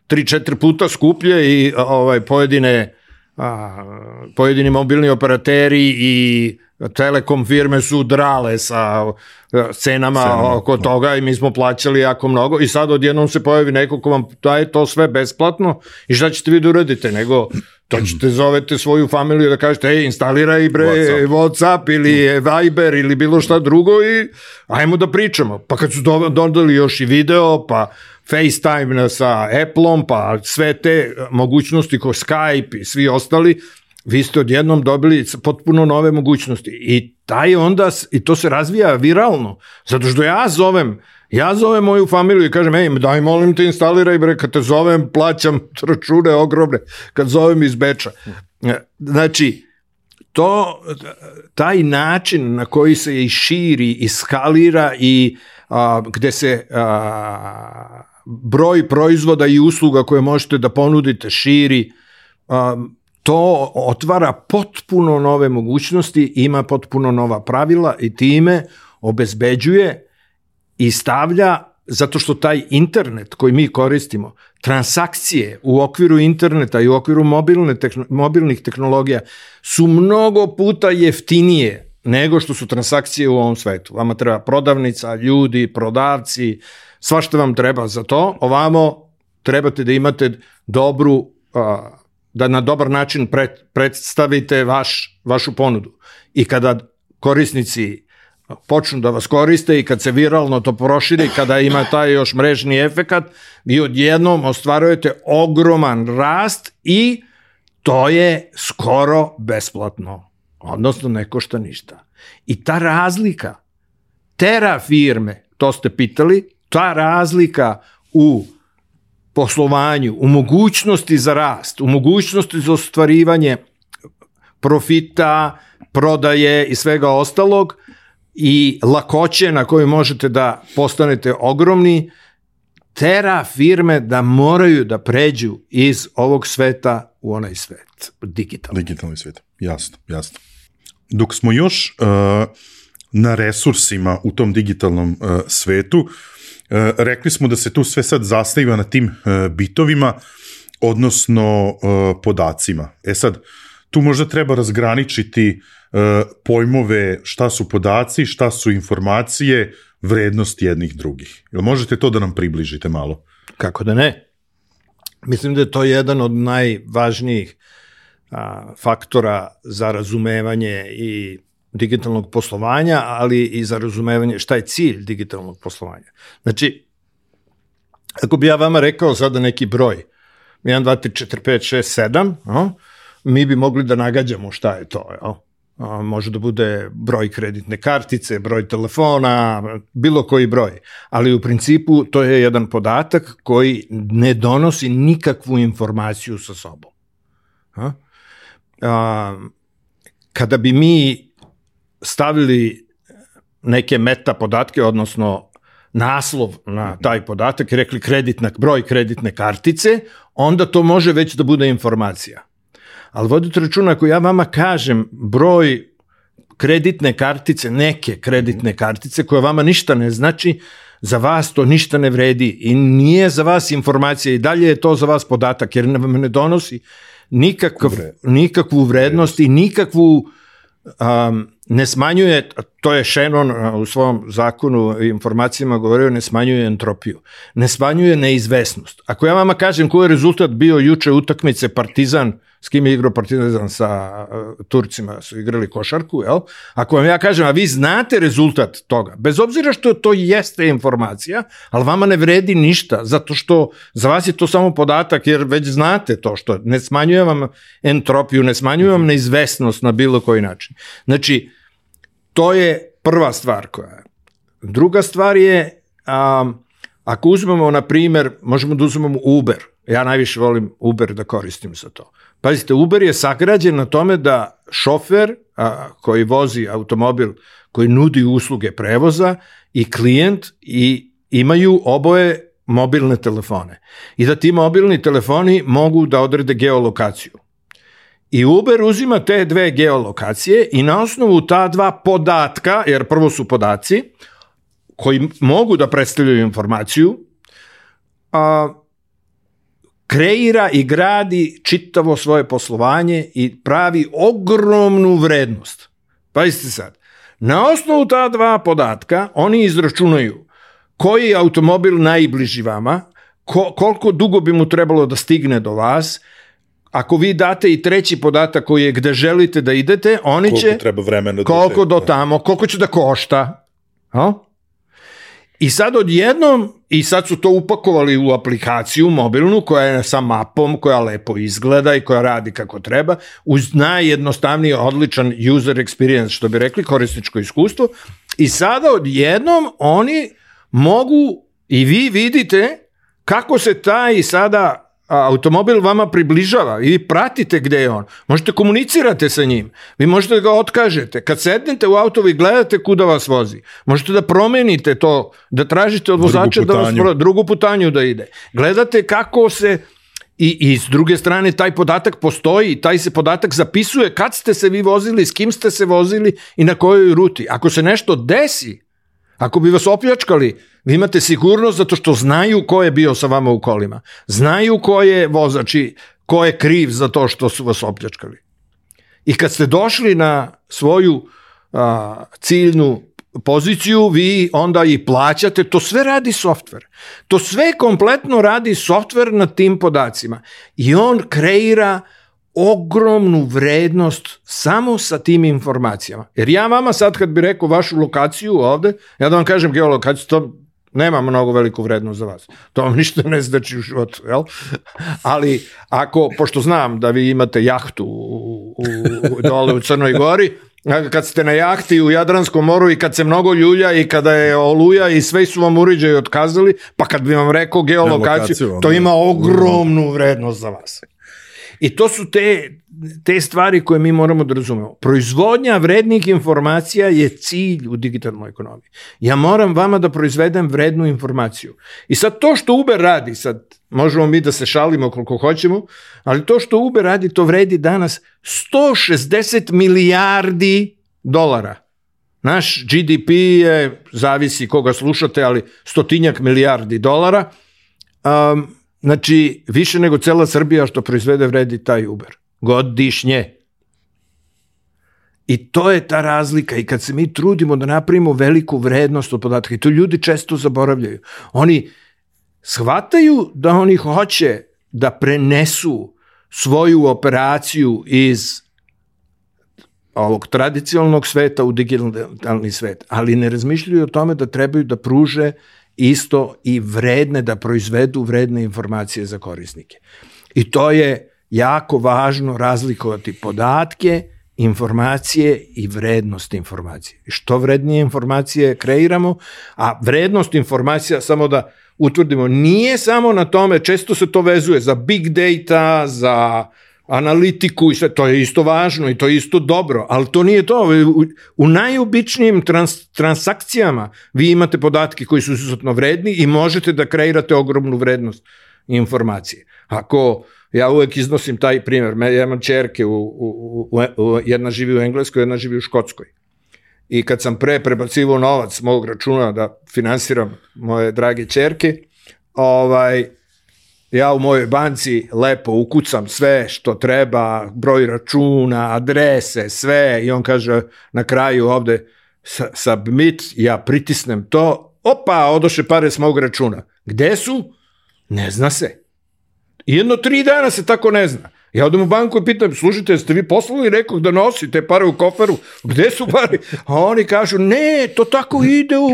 tri četiri puta skuplje i ovaj, pojedine, a, pojedini mobilni operateri i telekom firme su drale sa cenama Cena, oko toga i mi smo plaćali jako mnogo i sad odjednom se pojavi neko ko vam daje to sve besplatno i šta ćete vi da uradite, nego to ćete zovete svoju familiju da kažete ej, instaliraj bre WhatsApp, WhatsApp ili Viber ili bilo šta drugo i ajmo da pričamo. Pa kad su dodali još i video, pa FaceTime sa Appleom, pa sve te mogućnosti ko Skype i svi ostali, vi ste odjednom dobili potpuno nove mogućnosti i taj onda, i to se razvija viralno, zato što ja zovem, ja zovem moju familiju i kažem, ej, daj molim te instaliraj bre, kad te zovem, plaćam račune ogromne, kad zovem iz Beča. Znači, to, taj način na koji se i širi i skalira i a, gde se a, broj proizvoda i usluga koje možete da ponudite širi, a, to otvara potpuno nove mogućnosti, ima potpuno nova pravila i time obezbeđuje i stavlja, zato što taj internet koji mi koristimo, transakcije u okviru interneta i u okviru mobilne, mobilnih tehnologija su mnogo puta jeftinije nego što su transakcije u ovom svetu. Vama treba prodavnica, ljudi, prodavci, svašta vam treba za to. Ovamo trebate da imate dobru da na dobar način predstavite vaš, vašu ponudu. I kada korisnici počnu da vas koriste i kad se viralno to proširi, kada ima taj još mrežni efekat, vi odjednom ostvarujete ogroman rast i to je skoro besplatno. Odnosno ne košta ništa. I ta razlika, tera firme, to ste pitali, ta razlika u poslovanju, u mogućnosti za rast, u mogućnosti za ostvarivanje profita, prodaje i svega ostalog i lakoće na koju možete da postanete ogromni, tera firme da moraju da pređu iz ovog sveta u onaj svet, digitalni. Digitalni svet, jasno, jasno. Dok smo još uh, na resursima u tom digitalnom uh, svetu, E, rekli smo da se tu sve sad zasniva na tim e, bitovima, odnosno e, podacima. E sad, tu možda treba razgraničiti e, pojmove šta su podaci, šta su informacije, vrednost jednih drugih. Jel možete to da nam približite malo? Kako da ne? Mislim da je to jedan od najvažnijih a, faktora za razumevanje i digitalnog poslovanja, ali i za razumevanje šta je cilj digitalnog poslovanja. Znači, ako bi ja vama rekao sada neki broj, jedan, dva, tri, četiri, pet, šest, sedam, mi bi mogli da nagađamo šta je to. Jo? Može da bude broj kreditne kartice, broj telefona, bilo koji broj. Ali u principu to je jedan podatak koji ne donosi nikakvu informaciju sa sobom. Kada bi mi stavili neke meta podatke, odnosno naslov na taj podatak i rekli kreditna, broj kreditne kartice, onda to može već da bude informacija. ali vodite računa, ako ja vama kažem broj kreditne kartice, neke kreditne kartice, koja vama ništa ne znači, za vas to ništa ne vredi i nije za vas informacija i dalje je to za vas podatak, jer vam ne donosi nikakav, nikakvu vrednost i nikakvu um, ne smanjuje, to je Shannon u svom zakonu o informacijama govorio, ne smanjuje entropiju, ne smanjuje neizvesnost. Ako ja vama kažem koji je rezultat bio juče utakmice Partizan, s kim je igrao Partizan sa uh, Turcima, su igrali košarku, jel? Ako vam ja kažem, a vi znate rezultat toga, bez obzira što to jeste informacija, ali vama ne vredi ništa, zato što za vas je to samo podatak, jer već znate to, što ne smanjuje vam entropiju, ne smanjuje vam neizvesnost na bilo koji način. Znači, to je prva stvar koja je. Druga stvar je, um, ako uzmemo, na primjer, možemo da uzmemo Uber. Ja najviše volim Uber da koristim za to. Pazite, Uber je sagrađen na tome da šofer a, koji vozi automobil, koji nudi usluge prevoza i klijent i imaju oboje mobilne telefone. I da ti mobilni telefoni mogu da odrede geolokaciju. I Uber uzima te dve geolokacije i na osnovu ta dva podatka, jer prvo su podaci koji mogu da predstavljaju informaciju, a, kreira i gradi čitavo svoje poslovanje i pravi ogromnu vrednost. Pazite sad, na osnovu ta dva podatka oni izračunaju koji je automobil najbliži vama, ko, koliko dugo bi mu trebalo da stigne do vas. Ako vi date i treći podatak koji je gde želite da idete, oni koliko će... treba vremena koliko do, do tamo, koliko će da košta. Ha? I sad odjednom, i sad su to upakovali u aplikaciju mobilnu koja je sa mapom, koja lepo izgleda i koja radi kako treba, uz najjednostavniji, odličan user experience, što bi rekli, korisničko iskustvo. I sada odjednom oni mogu, i vi vidite kako se taj sada automobil vama približava i vi pratite gde je on. Možete komunicirate sa njim. Vi možete da ga otkažete. Kad sednete u auto, vi gledate kuda vas vozi. Možete da promenite to, da tražite od vozača da vas pro, drugu putanju da ide. Gledate kako se i, i s druge strane taj podatak postoji i taj se podatak zapisuje kad ste se vi vozili, s kim ste se vozili i na kojoj ruti. Ako se nešto desi, ako bi vas opljačkali, vi imate sigurnost zato što znaju ko je bio sa vama u kolima. Znaju ko je vozač i ko je kriv za to što su vas opljačkali. I kad ste došli na svoju a, ciljnu poziciju, vi onda i plaćate, to sve radi softver. To sve kompletno radi softver na tim podacima. I on kreira ogromnu vrednost samo sa tim informacijama. Jer ja vama sad kad bi rekao vašu lokaciju ovde, ja da vam kažem geolokaciju, to nema mnogo veliku vrednost za vas. To vam ništa ne znači u životu, jel? Ali ako, pošto znam da vi imate jahtu u, u, dole u Crnoj Gori, kad ste na jahti u Jadranskom moru i kad se mnogo ljulja i kada je oluja i sve su vam uređaji otkazali, pa kad bi vam rekao geolokaciju, to ima ogromnu vrednost za vas. I to su te, te stvari koje mi moramo da razumemo. Proizvodnja vrednih informacija je cilj u digitalnoj ekonomiji. Ja moram vama da proizvedem vrednu informaciju. I sad to što Uber radi, sad možemo mi da se šalimo koliko hoćemo, ali to što Uber radi, to vredi danas sto šezdeset milijardi dolara. Naš G D P je, zavisi koga slušate, ali stotinjak milijardi dolara. Um, Znači, više nego cela Srbija što proizvede vredi taj Uber. Godišnje. I to je ta razlika. I kad se mi trudimo da napravimo veliku vrednost od podatka, i to ljudi često zaboravljaju, oni shvataju da oni hoće da prenesu svoju operaciju iz ovog tradicionalnog sveta u digitalni svet, ali ne razmišljaju o tome da trebaju da pruže isto i vredne, da proizvedu vredne informacije za korisnike. I to je jako važno razlikovati podatke, informacije i vrednost informacije. I što vrednije informacije kreiramo, a vrednost informacija, samo da utvrdimo, nije samo na tome, često se to vezuje za big data, za analitiku i sve, to je isto važno i to je isto dobro, ali to nije to. U, u najobičnijim trans, transakcijama vi imate podatke koji su izuzetno vredni i možete da kreirate ogromnu vrednost informacije. Ako ja uvek iznosim taj primjer, ja imam čerke, u, u, u, u, jedna živi u Engleskoj, jedna živi u Škotskoj. I kad sam pre prebacivao novac mog računa da finansiram moje drage čerke, ovaj, ja u mojoj banci lepo ukucam sve što treba, broj računa, adrese, sve, i on kaže na kraju ovde submit, ja pritisnem to, opa, odoše pare s mog računa. Gde su? Ne zna se. Jedno tri dana se tako ne zna. Ja odem u banku i pitam, slušajte, jeste vi poslali nekog da nosi te pare u koferu? Gde su pare? A oni kažu, ne, to tako ide u,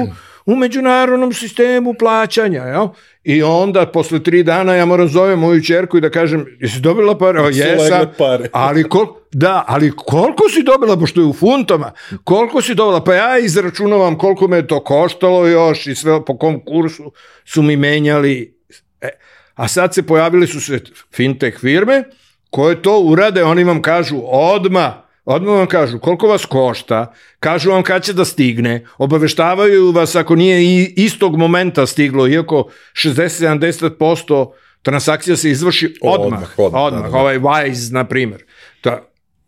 u međunarodnom sistemu plaćanja. Jel? I onda, posle tri dana, ja moram zovem moju čerku i da kažem, jesi dobila pare? O, jesam. Ali, kol, da, ali koliko si dobila, pošto je u funtama, koliko si dobila? Pa ja izračunavam koliko me to koštalo još i sve po kom kursu su mi menjali. E, a sad se pojavili su se fintech firme koje to urade, oni vam kažu odmah, odmah vam kažu koliko vas košta, kažu vam kad će da stigne, obaveštavaju vas ako nije istog momenta stiglo, iako šezdeset do sedamdeset posto transakcija se izvrši odmah, odmah, odmah, odmah da, da. Ovaj Wise, na primjer. Ta,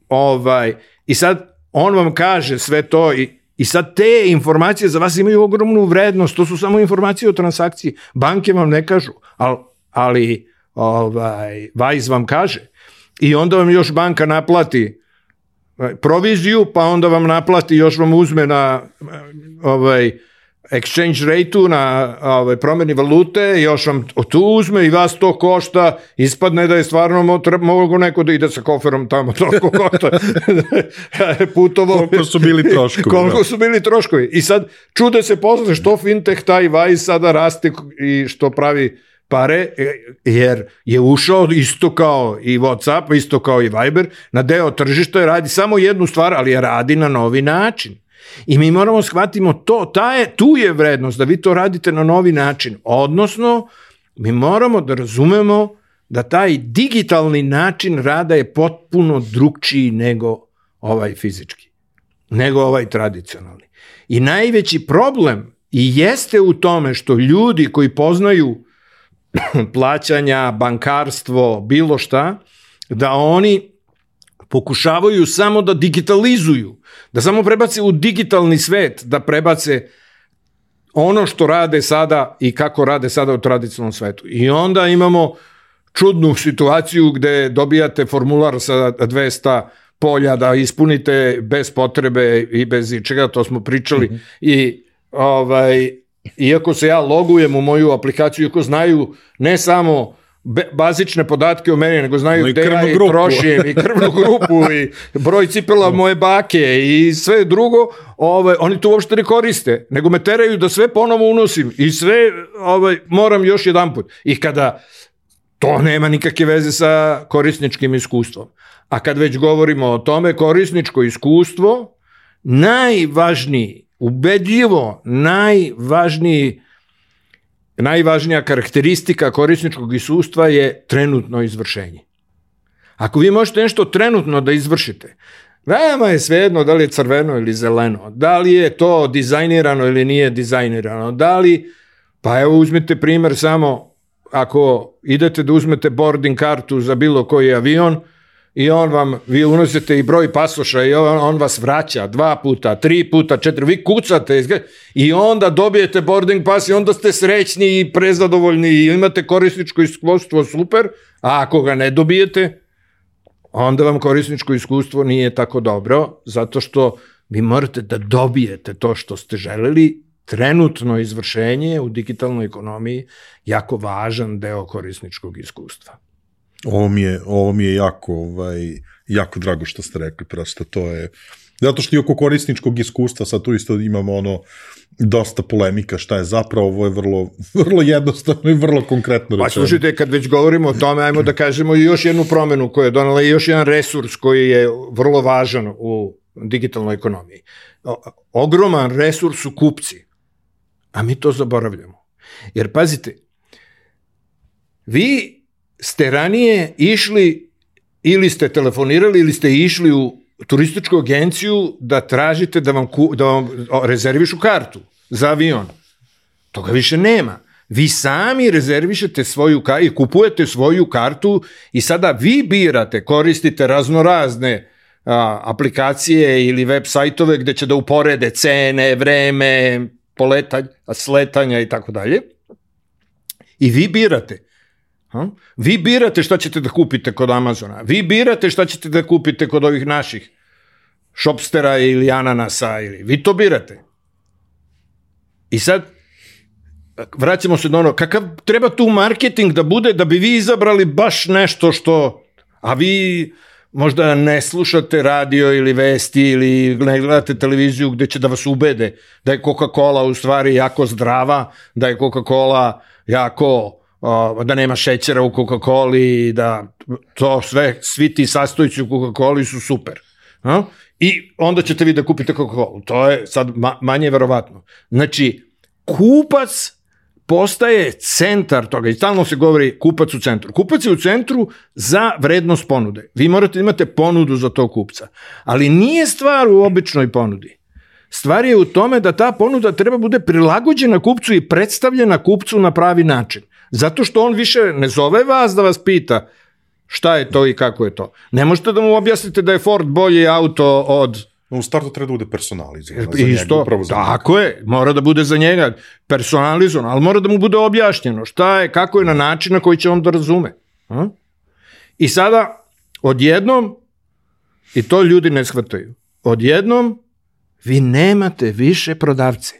ovaj, I sad on vam kaže sve to i, i sad te informacije za vas imaju ogromnu vrednost, to su samo informacije o transakciji, banke vam ne kažu, ali, ali ovaj, Wise vam kaže. I onda vam još banka naplati proviziju, pa onda vam naplati, još vam uzme na ovaj, exchange rate-u, na ovaj, promjeni valute, još vam tu uzme i vas to košta, ispadne da je stvarno mogo neko da ide sa koferom tamo, toliko košta. Putovo. Koliko su bili troškovi. Koliko su bili troškovi. I sad čude se posle što fintech taj Wise sada raste i što pravi pare, jer je ušao isto kao i WhatsApp, isto kao i Viber, na deo tržišta i radi samo jednu stvar, ali je radi na novi način. I mi moramo shvatimo to, ta je, tu je vrednost da vi to radite na novi način. Odnosno, mi moramo da razumemo da taj digitalni način rada je potpuno drugčiji nego ovaj fizički, nego ovaj tradicionalni. I najveći problem i jeste u tome što ljudi koji poznaju plaćanja, bankarstvo, bilo šta, da oni pokušavaju samo da digitalizuju, da samo prebace u digitalni svet, da prebace ono što rade sada i kako rade sada u tradicionalnom svetu. I onda imamo čudnu situaciju gde dobijate formular sa dvesta polja da ispunite bez potrebe i bez ičega, to smo pričali. Mm-hmm. I ovaj, iako se ja logujem u moju aplikaciju, iako znaju ne samo bazične podatke o meni, nego znaju gde ja i trošim i krvnu grupu i broj cipela moje bake i sve drugo, ovaj, oni to uopšte ne koriste, nego me teraju da sve ponovo unosim i sve ovaj, moram još jedan put. I kada to nema nikakve veze sa korisničkim iskustvom. A kad već govorimo o tome, korisničko iskustvo, najvažniji, ubedljivo najvažniji najvažnija karakteristika korisničkog iskustva je trenutno izvršenje. Ako vi možete nešto trenutno da izvršite, veoma je svejedno da li je crveno ili zeleno, da li je to dizajnirano ili nije dizajnirano, da li, pa evo uzmite primer samo, ako idete da uzmete boarding kartu za bilo koji avion, i on vam, vi unosite i broj pasoša i on, on vas vraća dva puta, tri puta, četiri, vi kucate i onda dobijete boarding pass i onda ste srećni i prezadovoljni i imate korisničko iskustvo super, a ako ga ne dobijete, onda vam korisničko iskustvo nije tako dobro, zato što vi morate da dobijete to što ste želeli. Trenutno izvršenje u digitalnoj ekonomiji jako važan deo korisničkog iskustva. Ovo mi je, ovo mi je jako, ovaj, jako drago što ste rekli, prosto to je, zato što i oko korisničkog iskustva, sad tu isto imamo ono, dosta polemika šta je zapravo, ovo je vrlo, vrlo jednostavno i vrlo konkretno rečeno. Pa slušajte, kad već govorimo o tome, ajmo da kažemo i još jednu promenu koja je donala i još jedan resurs koji je vrlo važan u digitalnoj ekonomiji. Ogroman resurs su kupci, a mi to zaboravljamo. Jer pazite, vi ste ranije išli ili ste telefonirali ili ste išli u turističku agenciju da tražite da vam, da vam rezervišu kartu za avion. Toga više nema. Vi sami rezervišete svoju kartu i kupujete svoju kartu i sada vi birate, koristite raznorazne a, aplikacije ili web sajtove gde će da uporede cene, vreme, poletanja, sletanja i tako dalje. I vi birate. A? Vi birate šta ćete da kupite kod Amazona. Vi birate šta ćete da kupite kod ovih naših Shopstera ili Ananasa. Ili, vi to birate. I sad vraćamo se do ono, kakav treba tu marketing da bude da bi vi izabrali baš nešto što, a vi možda ne slušate radio ili vesti ili ne gledate televiziju gde će da vas ubede da je Coca-Cola u stvari jako zdrava, da je Coca-Cola jako, da nema šećera u Coca-Coli, da to sve, svi ti sastojci u Coca-Coli su super. A? I onda ćete vi da kupite Coca-Colu. To je sad manje verovatno. Znači, kupac postaje centar toga i stalno se govori kupac u centru. Kupac je u centru za vrednost ponude. Vi morate imate ponudu za tog kupca. Ali nije stvar u običnoj ponudi. Stvar je u tome da ta ponuda treba bude prilagođena kupcu i predstavljena kupcu na pravi način. Zato što on više ne zove vas da vas pita šta je to i kako je to. Ne možete da mu objasnite da je Ford bolji auto od... U startu treba da bude personalizovan. Isto, tako je, mora da bude za njega personalizovan, ali mora da mu bude objašnjeno šta je, kako je na način na koji će on da razume. A? I sada, odjednom, i to ljudi ne shvataju, odjednom vi nemate više prodavce.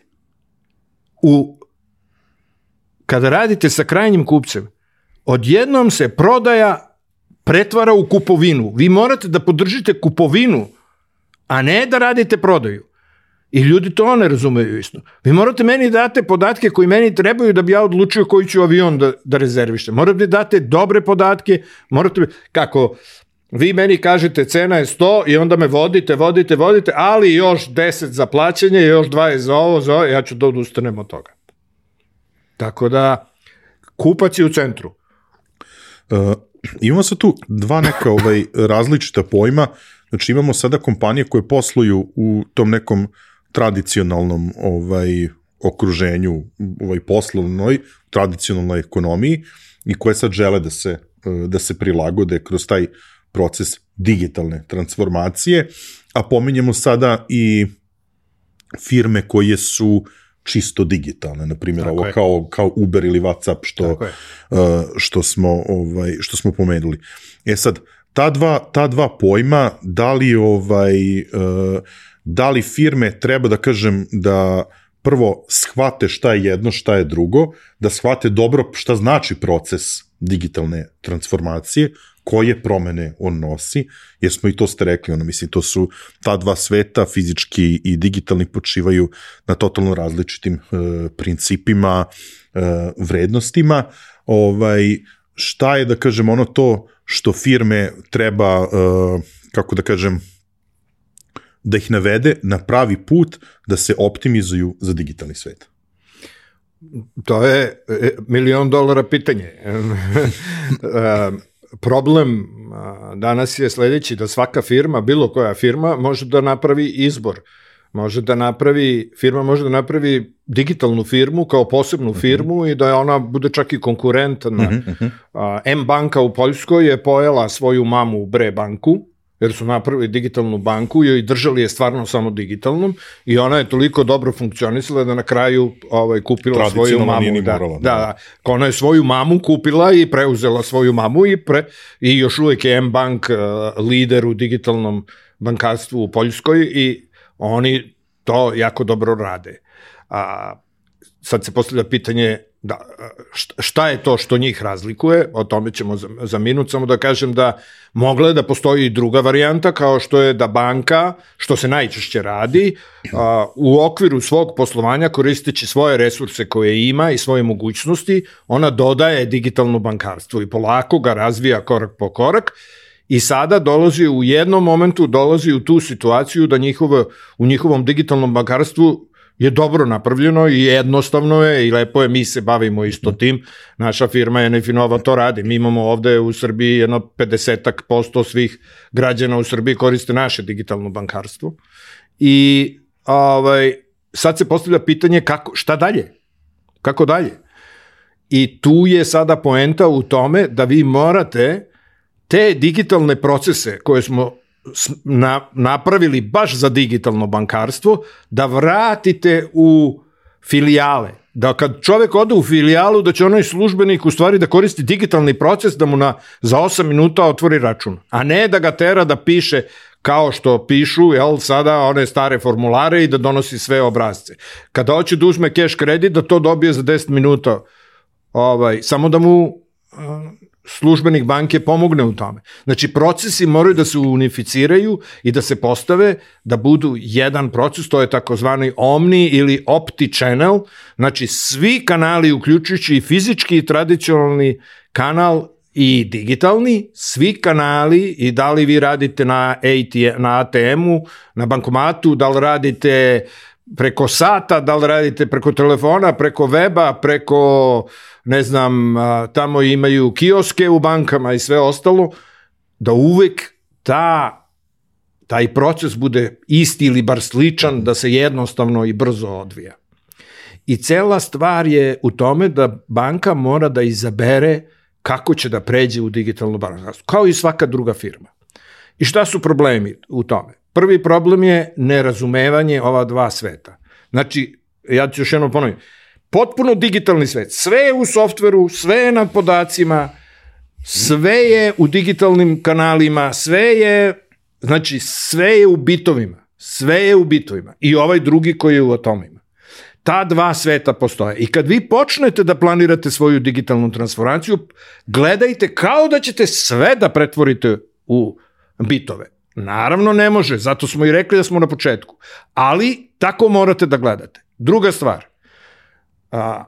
U, kada radite sa krajnjim kupcem, odjednom se prodaja pretvara u kupovinu. Vi morate da podržite kupovinu, a ne da radite prodaju. I ljudi to ne razumeju isto. Vi morate meni date podatke koji meni trebaju da bi ja odlučio koji ću avion da, da rezervište. Morate date dobre podatke, morate, kako vi meni kažete cena je sto i onda me vodite, vodite, vodite, ali još deset za plaćanje, još dvadeset za ovo, za ovo, ja ću da odustanem od toga. Tako da, kupac je u centru. Uh, imamo sad tu dva neka ovaj, različita pojma. Znači imamo sada kompanije koje posluju u tom nekom tradicionalnom ovaj, okruženju, ovaj, poslovnoj, tradicionalnoj ekonomiji i koje sad žele da se, da se prilagode kroz taj proces digitalne transformacije, a pominjemo sada i firme koje su čisto digitalne, na primjer ovo kao, kao Uber ili WhatsApp što, što, smo, ovaj, što smo pomenuli. E sad, Ta dva, ta dva pojma, da li, ovaj, da li firme treba da kažem da prvo shvate šta je jedno, šta je drugo, da shvate dobro šta znači proces digitalne transformacije, koje promene on nosi, jer smo i to ste rekli, ono, mislim, to su ta dva sveta, fizički i digitalni, počivaju na totalno različitim e, principima, e, vrednostima, ovaj, šta je, da kažem, ono to što firme treba, uh, kako da kažem, da ih navede na pravi put da se optimizuju za digitalni svet? To je milion dolara pitanje. Problem danas je sledeći, da svaka firma, bilo koja firma, može da napravi izbor. Može da napravi, firma može da napravi digitalnu firmu kao posebnu uh-huh. firmu i da ona bude čak i konkurentna. Uh-huh. Uh, M-banka u Poljskoj je pojela svoju mamu u Bre banku, jer su napravili digitalnu banku i držali je stvarno samo digitalnom i ona je toliko dobro funkcionisala da na kraju ovaj, kupila svoju mamu. Da, morala, da, da. Ona je svoju mamu kupila i preuzela svoju mamu i, pre, i još uvijek je M-bank uh, lider u digitalnom bankarstvu u Poljskoj i oni to jako dobro rade. A, sad se postavlja pitanje da, šta je to što njih razlikuje, o tome ćemo za, za minut, samo da kažem da mogla je da postoji i druga varijanta, kao što je da banka, što se najčešće radi, a, u okviru svog poslovanja, koristeći svoje resurse koje ima i svoje mogućnosti, ona dodaje digitalno bankarstvo i polako ga razvija korak po korak. I sada dolazi u jednom momentu, dolazi u tu situaciju da njihovo, u njihovom digitalnom bankarstvu je dobro napravljeno i jednostavno je i lepo je, mi se bavimo isto tim. Naša firma je Nefinova to radi. Mi imamo ovde u Srbiji jedno pedesetak posto svih građana u Srbiji koriste naše digitalno bankarstvo. I ovaj, sad se postavlja pitanje kako, šta dalje? Kako dalje? I tu je sada poenta u tome da vi morate te digitalne procese koje smo na, napravili baš za digitalno bankarstvo, da vratite u filijale. Da kad čovek ode u filijalu, da će onaj službenik u stvari da koristi digitalni proces, da mu na, za osam minuta otvori račun, a ne da ga tera da piše kao što pišu, jel, sada one stare formulare i da donosi sve obrazce. Kada hoće da uzme cash kredit, da to dobije za deset minuta, ovaj, samo da mu uh, službenik banke pomogne u tome. Znači, procesi moraju da se unificiraju i da se postave, da budu jedan proces, to je takozvani omni ili opti channel, znači svi kanali, uključujući i fizički i tradicionalni kanal i digitalni, svi kanali, i da li vi radite na, na A T M-u, na bankomatu, da li radite preko sata, da li radite preko telefona, preko weba, preko, ne znam, tamo imaju kioske u bankama i sve ostalo, da uvek ta, taj proces bude isti ili bar sličan, da se jednostavno i brzo odvija. I cela stvar je u tome da banka mora da izabere kako će da pređe u digitalno bankarstvo, kao i svaka druga firma. I šta su problemi u tome? Prvi problem je nerazumevanje ova dva sveta. Znači, ja ću još jednom ponoviti, potpuno digitalni svet, sve je u softveru, sve je nad podacima, sve je u digitalnim kanalima, sve je, znači, sve je u bitovima, sve je u bitovima i ovaj drugi koji je u atomima. Ta dva sveta postoje i kad vi počnete da planirate svoju digitalnu transformaciju, gledajte kao da ćete sve da pretvorite u bitove. Naravno ne može, zato smo i rekli da smo na početku, ali tako morate da gledate. Druga stvar, a,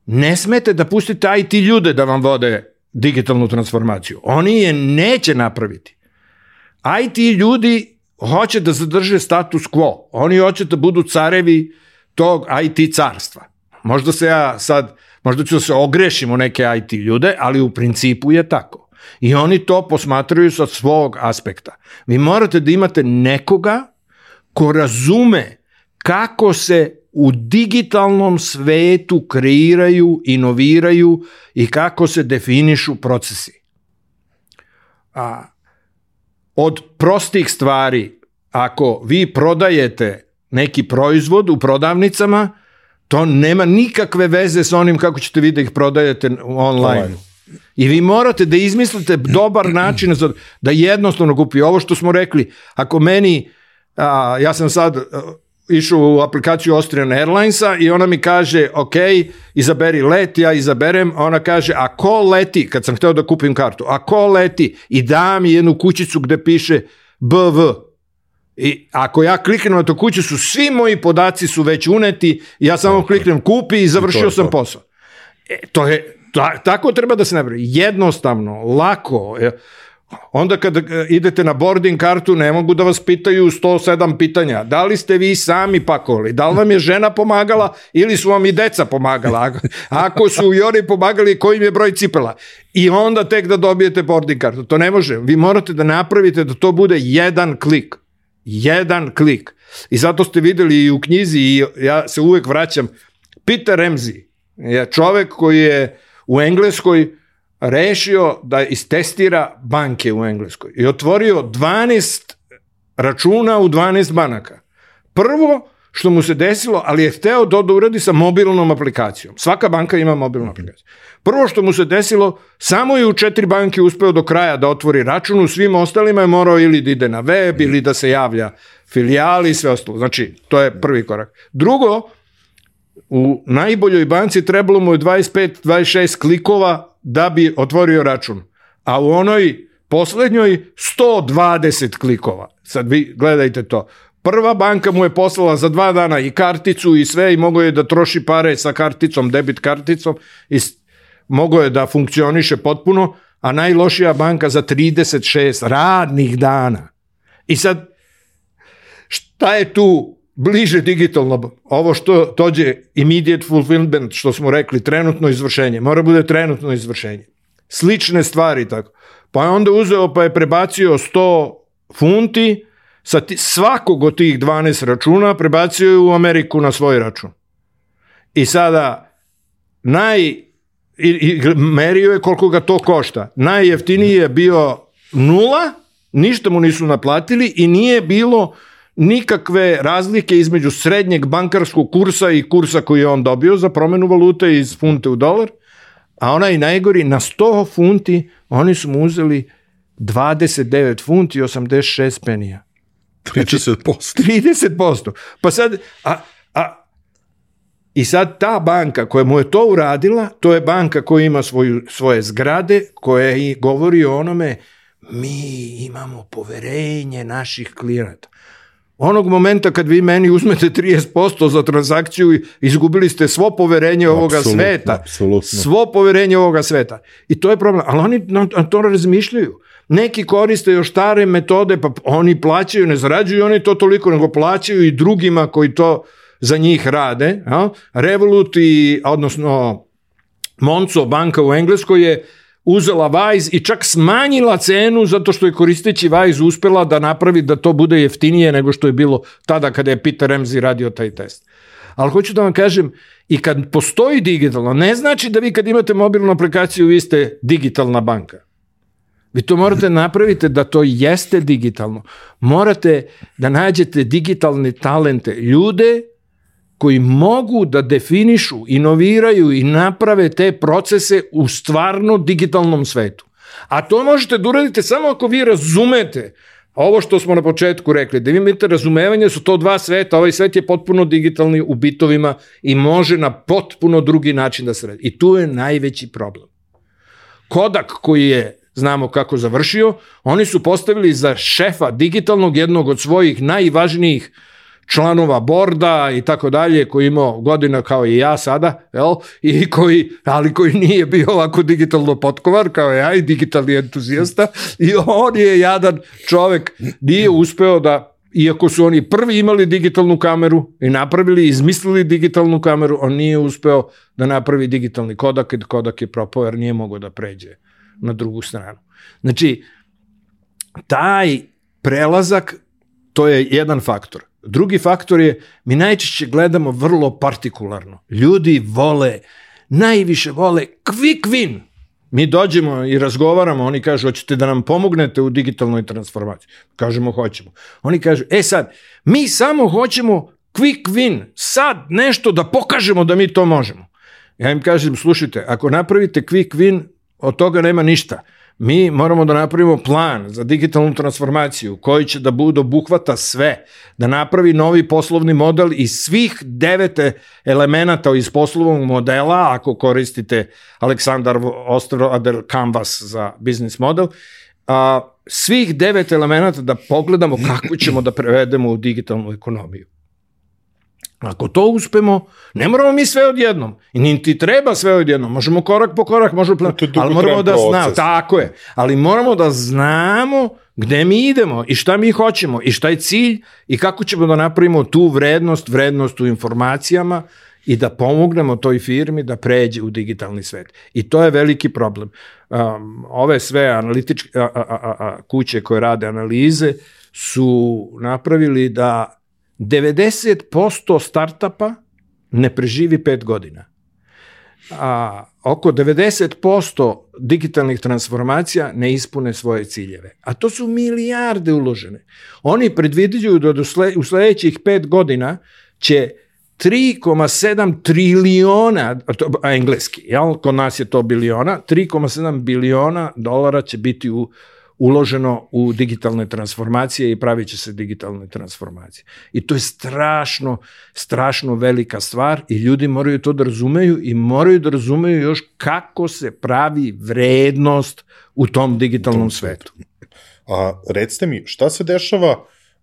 ne smete da pustite I T ljude da vam vode digitalnu transformaciju. Oni je neće napraviti. I T ljudi hoće da zadrže status quo, oni hoće da budu carevi tog I T carstva. Možda se ja sad, možda ću da se ogrešim u neke I T ljude, ali u principu je tako. I oni to posmatraju sa svog aspekta. Vi morate da imate nekoga ko razume kako se u digitalnom svetu kreiraju, inoviraju i kako se definišu procesi. A, od prostih stvari, ako vi prodajete neki proizvod u prodavnicama, to nema nikakve veze sa onim kako ćete vi da ih prodajete online. online. I vi morate da izmislite dobar način za, da jednostavno kupi. Ovo što smo rekli, ako meni, a, ja sam sad a, išao u aplikaciju Austrian Airlinesa i ona mi kaže, ok, izaberi let, ja izaberem, ona kaže, a ko leti, kad sam hteo da kupim kartu, a ko leti, i da mi jednu kućicu gde piše B V. I ako ja kliknem na tu kućicu, svi moji podaci su već uneti, ja samo kliknem kupi i završio sam posao. E, to je, ta, tako treba da se napravi. Jednostavno, lako. Onda kad idete na boarding kartu, ne mogu da vas pitaju sto sedam pitanja. Da li ste vi sami pakovali? Da li vam je žena pomagala ili su vam i deca pomagala? Ako su i oni pomagali, koji im je broj cipela? I onda tek da dobijete boarding kartu. To ne može. Vi morate da napravite da to bude jedan klik. Jedan klik. I zato ste videli i u knjizi, i ja se uvek vraćam, Peter Ramsey je čovek koji je u Engleskoj rešio da istestira banke u Engleskoj i otvorio dvanaest računa u dvanaest banaka. Prvo što mu se desilo, ali je hteo da uradi sa mobilnom aplikacijom. Svaka banka ima mobilnu aplikaciju. Prvo što mu se desilo, samo je u četiri banke uspeo do kraja da otvori račun, u svim ostalima je morao ili da ide na web ili da se javlja filijali i sve ostalo. Znači, to je prvi korak. Drugo, u najboljoj banci trebalo mu je dvadeset pet dvadeset šest klikova da bi otvorio račun, a u onoj poslednjoj sto dvadeset klikova. Sad vi gledajte to. Prva banka mu je poslala za dva dana i karticu i sve i mogao je da troši pare sa karticom, debit karticom i mogao je da funkcioniše potpuno, a najlošija banka za trideset šest radnih dana. I sad, šta je tu bliže digitalno? Ovo što tođe immediate fulfillment, što smo rekli, trenutno izvršenje. Mora bude trenutno izvršenje. Slične stvari tako. Pa je onda uzeo pa je prebacio sto funti sa ti, svakog od tih dvanaest računa prebacio je u Ameriku na svoj račun. I sada naj i, i merio je koliko ga to košta. Najjeftiniji je bio nula, ništa mu nisu naplatili i nije bilo nikakve razlike između srednjeg bankarskog kursa i kursa koji je on dobio za promenu valute iz funte u dolar, a onaj najgori na sto funti oni su mu uzeli dvadeset devet funti i osamdeset šest penija. trideset posto. trideset posto. Pa sad, a, a, i sad ta banka koja mu je to uradila, to je banka koja ima svoju, svoje zgrade, koja i govori o onome, mi imamo poverenje naših klijenata. Onog momenta kad vi meni uzmete trideset posto za transakciju, izgubili ste svo poverenje ovoga Absolutno, sveta. apsolutno. Svo poverenje ovoga sveta. I to je problem. Ali oni na to razmišljaju. Neki koriste još stare metode, pa oni plaćaju, ne zarađuju oni to toliko, nego plaćaju i drugima koji to za njih rade. Ja? Revolut i, odnosno Monzo banka u Engleskoj je uzela Wise i čak smanjila cenu zato što je koristeći Wise uspela da napravi da to bude jeftinije nego što je bilo tada kada je Peter Ramsey radio taj test. Ali hoću da vam kažem, i kad postoji digitalno, ne znači da vi kad imate mobilnu aplikaciju vi ste digitalna banka. Vi to morate napraviti da to jeste digitalno. Morate da nađete digitalne talente, ljude koji mogu da definišu, inoviraju i naprave te procese u stvarno digitalnom svetu. A to možete da uradite samo ako vi razumete ovo što smo na početku rekli, da vi imate razumevanje, su to dva sveta, ovaj svet je potpuno digitalni u bitovima i može na potpuno drugi način da se radi. I tu je najveći problem. Kodak koji je, znamo kako završio, oni su postavili za šefa digitalnog jednog od svojih najvažnijih članova borda i tako dalje, koji imao godina kao i ja sada, jel? I koji, ali koji nije bio ovako digitalno potkovar kao ja i digitalni entuzijasta, i on je jadan čovek, nije uspeo da, iako su oni prvi imali digitalnu kameru i napravili, izmislili digitalnu kameru, on nije uspeo da napravi digitalni Kodak, i Kodak je propao jer nije mogao da pređe na drugu stranu. Znači, taj prelazak, to je jedan faktor. Drugi faktor je, mi najčešće gledamo vrlo partikularno. Ljudi vole, najviše vole quick win. Mi dođemo i razgovaramo, oni kažu, hoćete da nam pomognete u digitalnoj transformaciji? Kažemo, hoćemo. Oni kažu, e sad, mi samo hoćemo quick win, sad nešto da pokažemo da mi to možemo. Ja im kažem, slušajte, ako napravite quick win, od toga nema ništa. Mi moramo da napravimo plan za digitalnu transformaciju koji će da bude obuhvata sve, da napravi novi poslovni model iz svih devete elemenata iz poslovnog modela, ako koristite Aleksandar Osterwalder Canvas za business model, a, svih devet elemenata da pogledamo kako ćemo da prevedemo u digitalnu ekonomiju. Ako to uspemo, ne moramo mi sve odjednom. I niti treba sve odjednom. Možemo korak po korak, možemo plan... ali moramo da znamo, tako je. Ali moramo da znamo gde mi idemo i šta mi hoćemo i šta je cilj i kako ćemo da napravimo tu vrednost, vrednost u informacijama i da pomognemo toj firmi da pređe u digitalni svet. I to je veliki problem. Um, ove sve analitičke a, a, a, a, kuće koje rade analize su napravili da devedeset posto startapa ne preživi pet godina. A oko devedeset posto digitalnih transformacija ne ispune svoje ciljeve. A to su milijarde uložene. Oni predviđaju da u sledećih pet godina će tri zarez sedam triliona, a engleski, jel? Kod nas je to biliona, tri zarez sedam biliona dolara će biti u uloženo u digitalne transformacije i pravit će se digitalne transformacije. I to je strašno, strašno velika stvar i ljudi moraju to da razumeju i moraju da razumeju još kako se pravi vrednost u tom digitalnom svetu. A recite mi, šta se dešava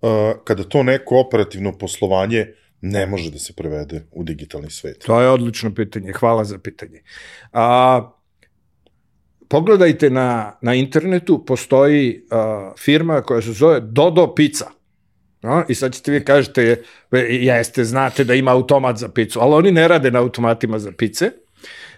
uh, kada to neko operativno poslovanje ne može da se prevede u digitalni svet? To je odlično pitanje, hvala za pitanje. A pogledajte na, na internetu, postoji uh, firma koja se zove Dodo Pizza. No? I sad ćete vi kažete, jeste, znate da ima automat za picu, ali oni ne rade na automatima za pice.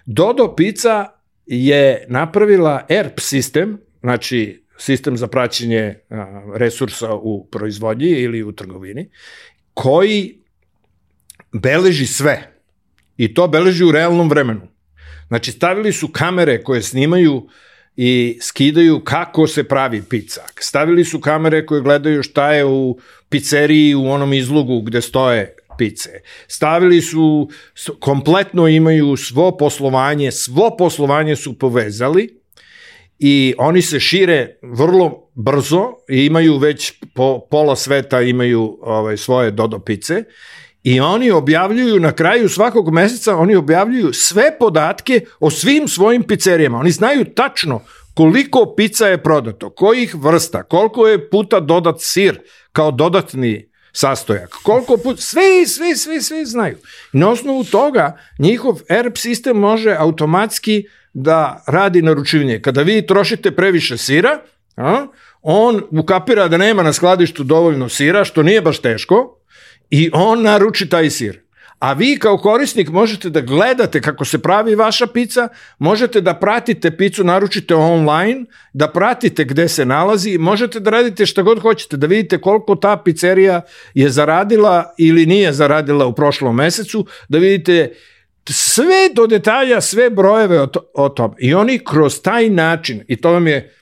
Dodo Pizza je napravila E R P sistem, znači sistem za praćenje uh, resursa u proizvodnji ili u trgovini, koji beleži sve. I to beleži u realnom vremenu. Znači, stavili su kamere koje snimaju i skidaju kako se pravi pica. Stavili su kamere koje gledaju šta je u pizzeriji u onom izlogu gde stoje pice. Stavili su, kompletno imaju svo poslovanje, svo poslovanje su povezali i oni se šire vrlo brzo i imaju već po pola sveta imaju ovaj, svoje Dodo pice i oni objavljuju na kraju svakog meseca, oni objavljuju sve podatke o svim svojim pizzerijama. Oni znaju tačno koliko pizza je prodato, kojih vrsta, koliko je puta dodat sir kao dodatni sastojak, koliko puta, sve, sve, sve, sve znaju. I na osnovu toga njihov E R P sistem može automatski da radi naručivanje. Kada vi trošite previše sira, a, on ukapira da nema na skladištu dovoljno sira, što nije baš teško, i on naruči taj sir. A vi kao korisnik možete da gledate kako se pravi vaša pizza, možete da pratite picu, naručite online, da pratite gde se nalazi, možete da radite šta god hoćete, da vidite koliko ta pizzerija je zaradila ili nije zaradila u prošlom mesecu, da vidite sve do detalja, sve brojeve o, to, o tom. I oni kroz taj način, i to vam je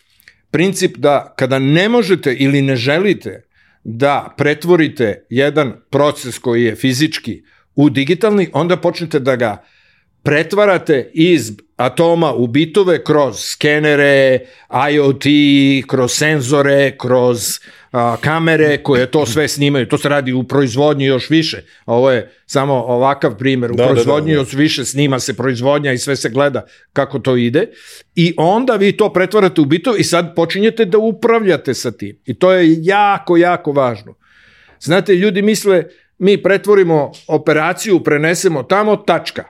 princip da kada ne možete ili ne želite da pretvorite jedan proces koji je fizički u digitalni, onda počnete da ga pretvarate iz atoma u bitove kroz skenere, I O T, kroz senzore, kroz a, kamere koje to sve snimaju. To se radi u proizvodnji još više. A ovo je samo ovakav primjer. U da, proizvodnji da, da, da. još više snima se proizvodnja i sve se gleda kako to ide. I onda vi to pretvarate u bitove i sad počinjete da upravljate sa tim. I to je jako, jako važno. Znate, ljudi misle mi pretvorimo operaciju, prenesemo tamo, tačka.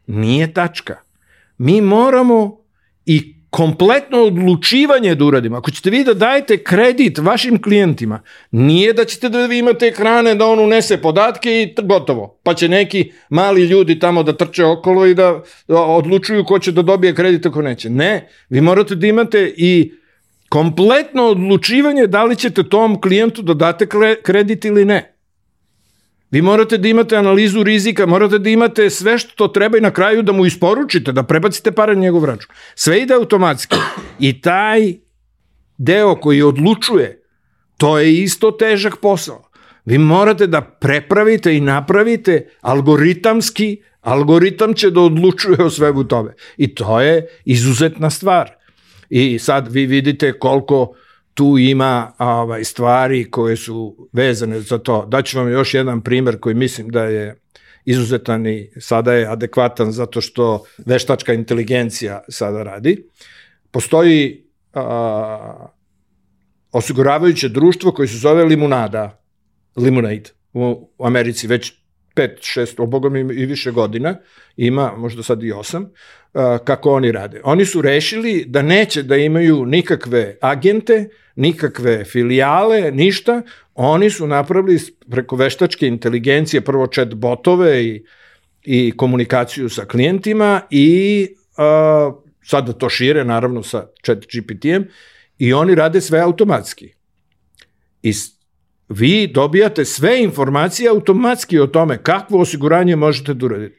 Nije tačka. Mi moramo i kompletno odlučivanje da uradimo. Ako ćete vi da dajete kredit vašim klijentima, nije da ćete da vi imate ekrane da on unese podatke i gotovo. Pa će neki mali ljudi tamo da trče okolo i da odlučuju ko će da dobije kredit ako neće. Ne, vi morate da imate i kompletno odlučivanje da li ćete tom klijentu da date kredit ili ne. Vi morate da imate analizu rizika, morate da imate sve što to treba i na kraju da mu isporučite, da prebacite pare na njegov račun. Sve ide automatski. I taj deo koji odlučuje, to je isto težak posao. Vi morate da prepravite i napravite algoritamski, algoritam će da odlučuje o svemu tome. I to je izuzetna stvar. I sad vi vidite koliko tu ima ovaj, stvari koje su vezane za to. Daću vam još jedan primer koji mislim da je izuzetan i sada je adekvatan zato što veštačka inteligencija sada radi. Postoji a, osiguravajuće društvo koje se zove Limunada, Lemonade u Americi već pet, šest, obogom i više godina, ima možda sad i osam, kako oni rade. Oni su rešili da neće da imaju nikakve agente, nikakve filijale, ništa. Oni su napravili preko veštačke inteligencije prvo chat botove i, i komunikaciju sa klijentima i uh, sada to šire naravno sa chat G P T-em i oni rade sve automatski. I vi dobijate sve informacije automatski o tome kakvo osiguranje možete da uraditi.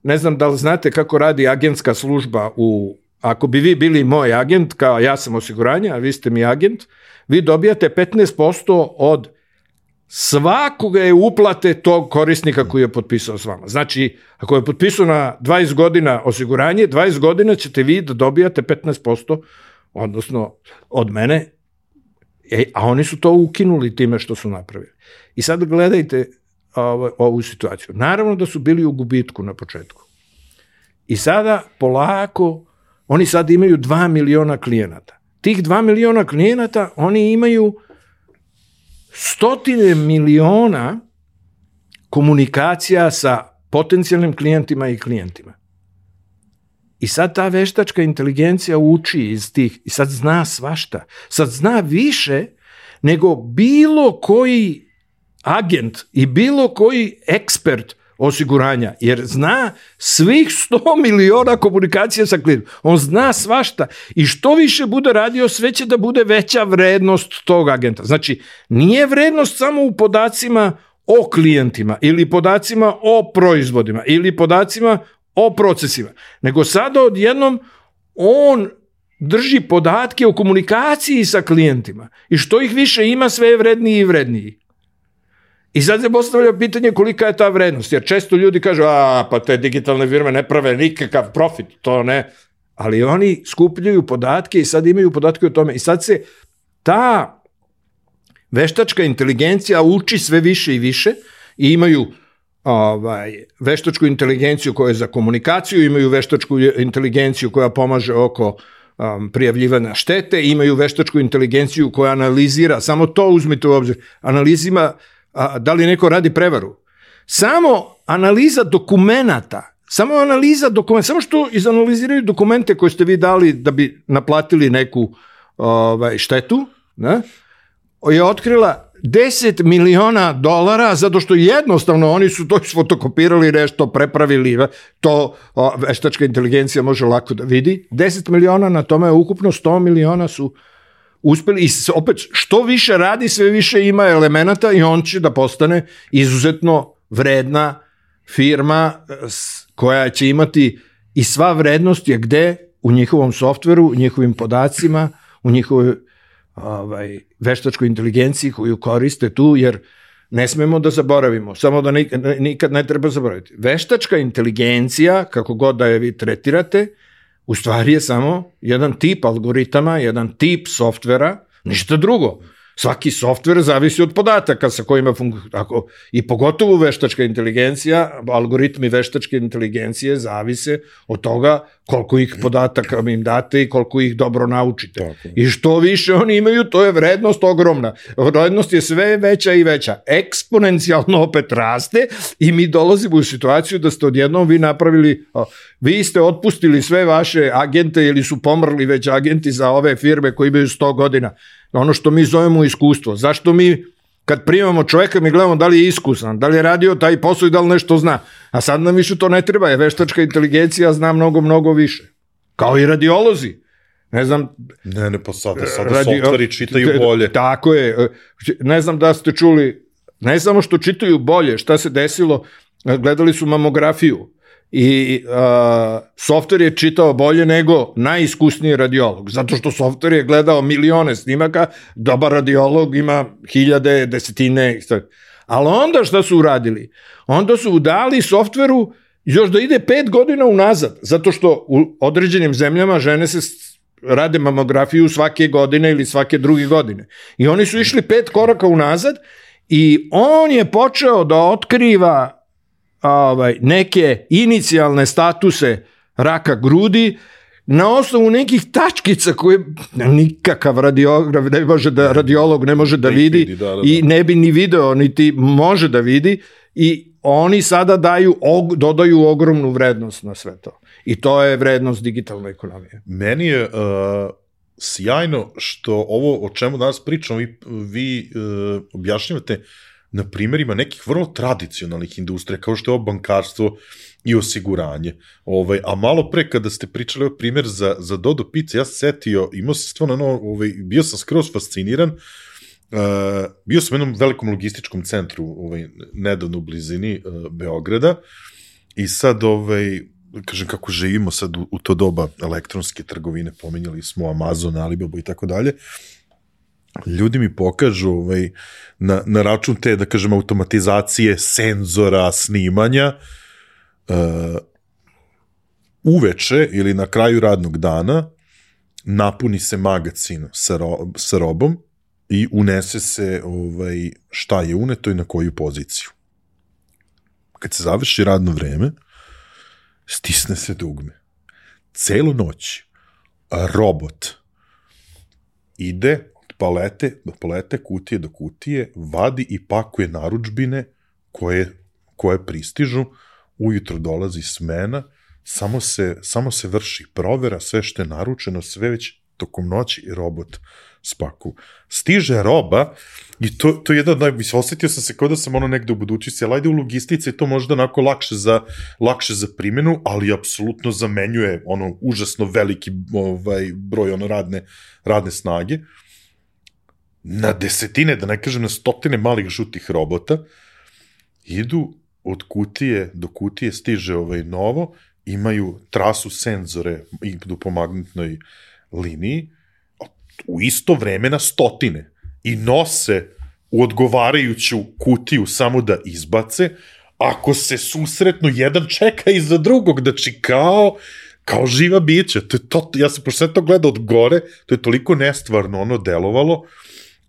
Ne znam da li znate kako radi agentska služba u, ako bi vi bili moj agent, kao ja sam osiguranje, a vi ste mi agent, vi dobijate petnaest posto od svakoga je uplate tog korisnika koji je potpisao s vama. Znači, ako je potpisao na dvadeset godina osiguranje, dvadeset godina ćete vi da dobijate petnaest posto, odnosno od mene, e, a oni su to ukinuli time što su napravili. I sad gledajte ovu, ovu situaciju. Naravno da su bili u gubitku na početku. I sada polako, oni sad imaju dva miliona klijenata. Tih dva miliona klijenata, oni imaju stotine miliona komunikacija sa potencijalnim klijentima i klijentima. I sad ta veštačka inteligencija uči iz tih, i sad zna svašta. Sad zna više nego bilo koji agent i bilo koji ekspert osiguranja, jer zna svih sto miliona komunikacija sa klijentom. On zna svašta i što više bude radio, sve će da bude veća vrednost tog agenta. Znači, nije vrednost samo u podacima o klijentima ili podacima o proizvodima ili podacima o procesima, nego sada odjednom on drži podatke o komunikaciji sa klijentima i što ih više ima, sve je vredniji i vredniji. I sad se postavlja pitanje kolika je ta vrednost, jer često ljudi kažu, a pa te digitalne firme ne prave nikakav profit, to ne, ali oni skupljaju podatke i sad imaju podatke o tome i sad se ta veštačka inteligencija uči sve više i više i imaju ovaj, veštačku inteligenciju koja je za komunikaciju, imaju veštačku inteligenciju koja pomaže oko um, prijavljivanja štete, imaju veštačku inteligenciju koja analizira, samo to uzmite u obzir, analizima a, da li neko radi prevaru. Samo analiza dokumenata, samo analiza dokumenta, samo što izanaliziraju dokumente koje ste vi dali da bi naplatili neku ovaj, štetu, ne, je otkrila deset miliona dolara, zato što jednostavno oni su to isfotokopirali, nešto prepravili, to o, veštačka inteligencija može lako da vidi. deset miliona, na tome ukupno sto miliona su uspeli i opet što više radi, sve više ima elemenata i on će da postane izuzetno vredna firma koja će imati i sva vrednost je gde? U njihovom softveru, u njihovim podacima, u njihovoj ovaj, veštačkoj inteligenciji koju koriste tu, jer ne smemo da zaboravimo, samo da nikad ne treba zaboraviti. Veštačka inteligencija, kako god da je vi tretirate, u stvari je samo jedan tip algoritama, jedan tip softvera, ništa drugo. Svaki softver zavisi od podataka sa kojima funkcionira. I pogotovo veštačka inteligencija, algoritmi veštačke inteligencije zavise od toga koliko ih podataka im date i koliko ih dobro naučite. Tako. I što više oni imaju, to je vrednost ogromna. Vrednost je sve veća i veća. Eksponencijalno opet raste i mi dolazimo u situaciju da ste odjednom vi napravili, vi ste otpustili sve vaše agente ili su pomrli već agenti za ove firme koji imaju sto godina. Ono što mi zovemo iskustvo. Zašto mi, kad primamo čovjeka, mi gledamo da li je iskusan, da li je radio taj posao i da li nešto zna. A sad nam više to ne treba, je veštačka inteligencija zna mnogo, mnogo više. Kao i radiolozi. Ne znam... Ne, ne, pa sada, sada radio, softveri čitaju bolje. Tako je. Ne znam da ste čuli, ne samo što čitaju bolje, šta se desilo, gledali su mamografiju. I uh, softver je čitao bolje nego najiskusniji radiolog, zato što softver je gledao milione snimaka, dobar radiolog ima hiljade, desetine, ali onda šta su uradili? Onda su dali softveru još da ide pet godina unazad, zato što u određenim zemljama žene se rade mamografiju svake godine ili svake druge godine. I oni su išli pet koraka unazad i on je počeo da otkriva Ovaj, neke inicijalne statuse raka grudi na osnovu nekih tačkica koje nikakav radiograf ne može da, radiolog ne može da vidi, vidi da, da, da. I ne bi ni video, niti može da vidi i oni sada daju, og, dodaju ogromnu vrednost na sve to. I to je vrednost digitalne ekonomije. Meni je uh, sjajno što ovo o čemu danas pričamo vi, vi uh, objašnjavate na primjerima nekih vrlo tradicionalnih industrija, kao što je ovo bankarstvo i osiguranje. Ovaj, a malo pre kada ste pričali o primjer za, za Dodo Pizza, ja sam setio, imao sam stvarno, no, ovaj, bio sam skroz fasciniran, uh, bio sam u jednom velikom logističkom centru, ovaj, nedavno u blizini uh, Beograda, i sad, ovaj, kažem, kako živimo sad u, u to doba elektronske trgovine, pomenjali smo Amazon, Alibaba i tako dalje, ljudi mi pokažu ovaj, na, na račun te, da kažem, automatizacije, senzora, snimanja, uh, uveče ili na kraju radnog dana napuni se magacin sa, ro, sa robom i unese se ovaj, šta je uneto i na koju poziciju. Kad se završi radno vreme, stisne se dugme. Celu noć robot ide palete, do palete, kutije do kutije, vadi i pakuje narudžbine koje, koje pristižu, ujutro dolazi smena, samo se, samo se vrši provera, sve što je naručeno, sve već tokom noći i robot spaku. Stiže roba i to, to je jedan od najbolji, osjetio sam se kao da sam ono negde u budućnosti, ali ajde u logistici to možda onako lakše za, lakše za primjenu, ali apsolutno zamenjuje ono užasno veliki ovaj, broj ono radne, radne snage. Na desetine, da ne kažem na stotine malih žutih robota, idu od kutije do kutije, stiže ovaj novo imaju trasu senzore, idu po magnetnoj liniji, u isto vreme na stotine i nose u odgovarajuću kutiju samo da izbace, ako se susretnu, jedan čeka iza drugog, znači kao, kao živa bića. To je to, ja sam pošto sve to gledao od gore, to je toliko nestvarno ono delovalo,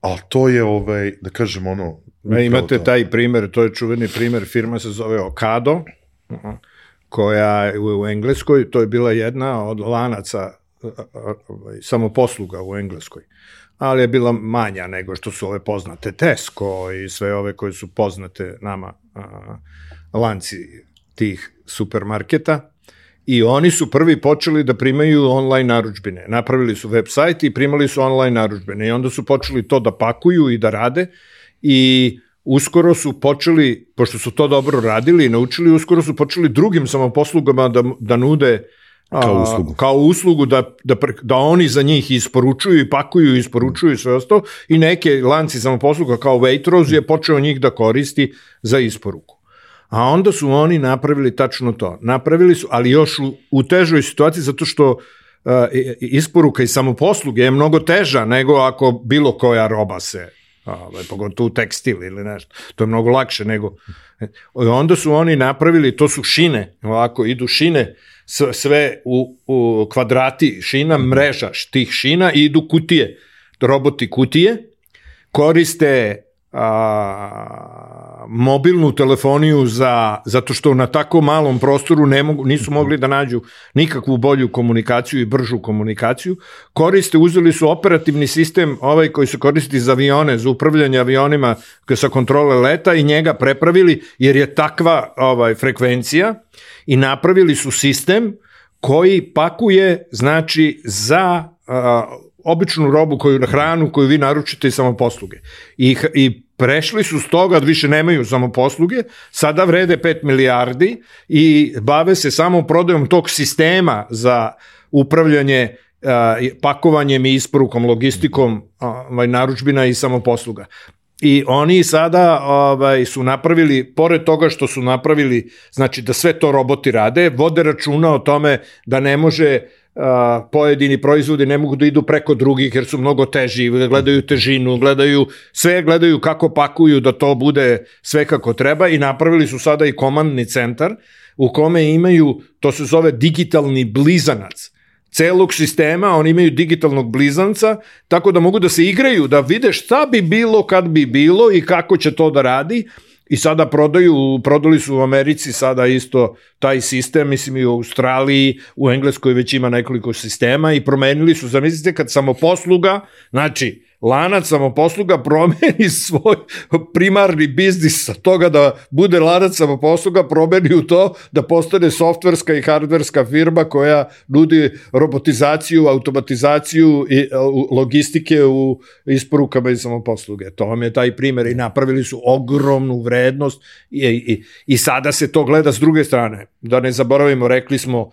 ali to je, ovaj, da kažem, ono... E, imate to. Taj primer, to je čuveni primer, firma se zove Ocado, koja je u Engleskoj, to je bila jedna od lanaca samoposluga u Engleskoj, ali je bila manja nego što su ove poznate Tesco i sve ove koje su poznate nama a, lanci tih supermarketa, i oni su prvi počeli da primaju online narudžbine. Napravili su web sajt i primali su online narudžbine i onda su počeli to da pakuju i da rade i uskoro su počeli, pošto su to dobro radili i naučili, uskoro su počeli drugim samoposlugama da, da nude kao uslugu, a, kao uslugu da, da, da oni za njih isporučuju i pakuju i isporučuju sve ostalo, i neke lanci samoposluga kao Waitrose je počeo njih da koristi za isporuku. A onda su oni napravili tačno to. Napravili su, ali još u, u težoj situaciji, zato što uh, isporuka i samoposluge je mnogo teža nego ako bilo koja roba se, uh, pogotovo tekstil ili nešto. To je mnogo lakše nego... Onda su oni napravili, to su šine, ovako idu šine, sve u, u kvadrati šina, mreža tih šina, i idu kutije, roboti kutije, koriste a, mobilnu telefoniju za, zato što na tako malom prostoru ne mogu, nisu mogli da nađu nikakvu bolju komunikaciju i bržu komunikaciju, koriste, uzeli su operativni sistem ovaj koji se koristi za avione, za upravljanje avionima sa kontrole leta, i njega prepravili jer je takva ovaj, frekvencija, i napravili su sistem koji pakuje, znači, za a, običnu robu, koju, hranu koju vi naručite i samoposluge. I, i prešli su s toga da više nemaju samoposluge, sada vrede pet milijardi i bave se samo prodajom tog sistema za upravljanje a, pakovanjem i isporukom, logistikom a, narudžbina i samoposluga. I oni sada ovaj, su napravili, pored toga što su napravili, znači da sve to roboti rade, vode računa o tome da ne može, a, pojedini proizvodi ne mogu da idu preko drugih jer su mnogo teži, gledaju težinu, gledaju, sve gledaju kako pakuju da to bude sve kako treba, i napravili su sada i komandni centar u kome imaju, to se zove digitalni blizanac celog sistema, oni imaju digitalnog blizanca, tako da mogu da se igraju, da vide šta bi bilo kad bi bilo i kako će to da radi, i sada prodaju, prodali su u Americi sada isto taj sistem, mislim i u Australiji, u Engleskoj već ima nekoliko sistema, i promenili su, zamislite kad samoposluga, znači lanac samoposluga promeni svoj primarni biznis sa toga da bude lanac samoposluga, promeni u to da postane softverska i hardverska firma koja nudi robotizaciju, automatizaciju i logistike u isporukama i samoposluge. To vam je taj primer, i napravili su ogromnu vrednost i, i, i sada se to gleda s druge strane. Da ne zaboravimo, rekli smo,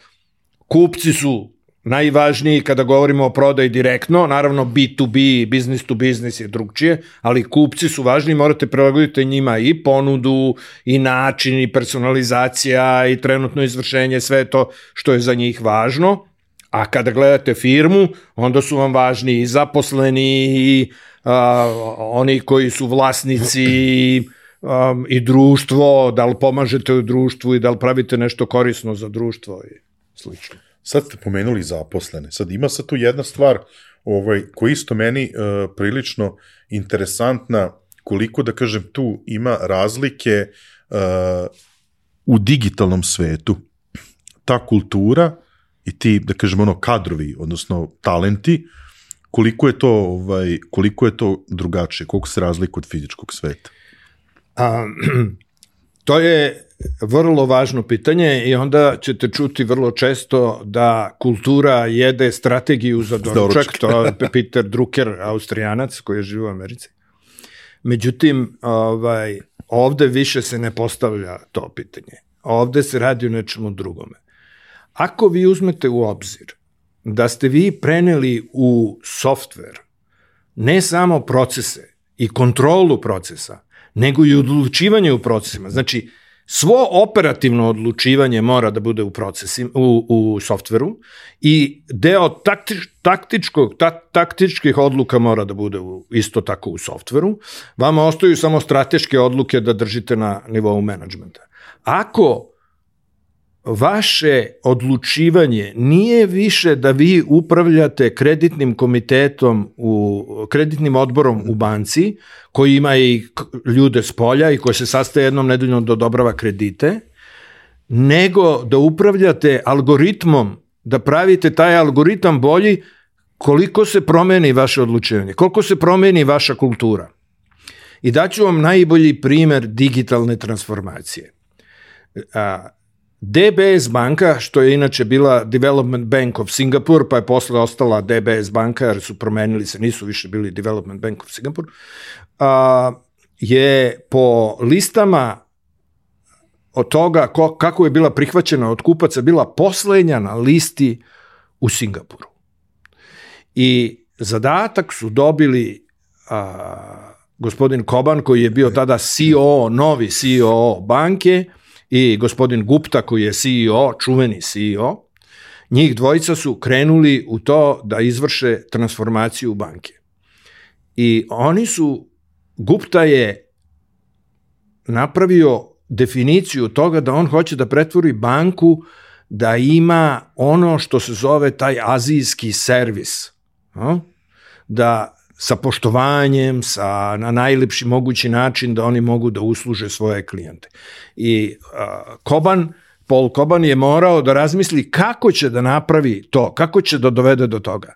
kupci su najvažniji kada govorimo o prodaji direktno, naravno B to B, business to business je drugčije, ali kupci su važni, morate prilagoditi njima i ponudu, i način, i personalizacija, i trenutno izvršenje, sve to što je za njih važno. A kada gledate firmu, onda su vam važni i zaposleni, i a, oni koji su vlasnici, i, a, i društvo, da li pomažete u društvu i da li pravite nešto korisno za društvo i slično. Sad ste pomenuli zaposlene. Sad ima sad tu jedna stvar ovaj, koja isto meni uh, prilično interesantna, koliko, da kažem, tu ima razlike uh, u digitalnom svetu. Ta kultura i ti, da kažem, ono, kadrovi, odnosno talenti, koliko je to, ovaj, koliko je to drugačije, koliko se razlika od fizičkog sveta? A, to je vrlo važno pitanje, i onda ćete čuti vrlo često da kultura jede strategiju za doručak, to je Peter Drucker, Austrijanac koji je živo u Americi. Međutim, ovaj, ovde više se ne postavlja to pitanje. Ovde se radi o nečemu drugome. Ako vi uzmete u obzir da ste vi preneli u softver ne samo procese i kontrolu procesa, nego i odlučivanje u procesima, znači svo operativno odlučivanje mora da bude u procesima, u, u softveru i deo taktič, taktičkog, ta, taktičkih odluka mora da bude u, isto tako u softveru. Vama ostaju samo strateške odluke da držite na nivou menadžmenta. Ako vaše odlučivanje nije više da vi upravljate kreditnim komitetom, u, kreditnim odborom u banci, koji ima i ljude s polja i koji se sastaje jednom nedeljno da odobrava kredite, nego da upravljate algoritmom, da pravite taj algoritam bolji koliko se promeni vaše odlučivanje, koliko se promeni vaša kultura. I daću vam najbolji primer digitalne transformacije. A, D B S banka, što je inače bila Development Bank of Singapore, pa je posle ostala D B S banka, jer su promenili se, nisu više bili Development Bank of Singapore, a, je po listama od toga ko, kako je bila prihvaćena od kupaca, bila poslednja na listi u Singapuru. I zadatak su dobili a, gospodin Koban, koji je bio tada C E O, novi C E O banke, i gospodin Gupta, koji je C E O, čuveni C E O, njih dvojica su krenuli u to da izvrše transformaciju banke. I oni su, Gupta je napravio definiciju toga da on hoće da pretvori banku da ima ono što se zove taj azijski servis. Da sa poštovanjem, sa, na najlepši mogući način da oni mogu da usluže svoje klijente. I uh, Koban, Paul Koban je morao da razmisli kako će da napravi to, kako će da dovede do toga.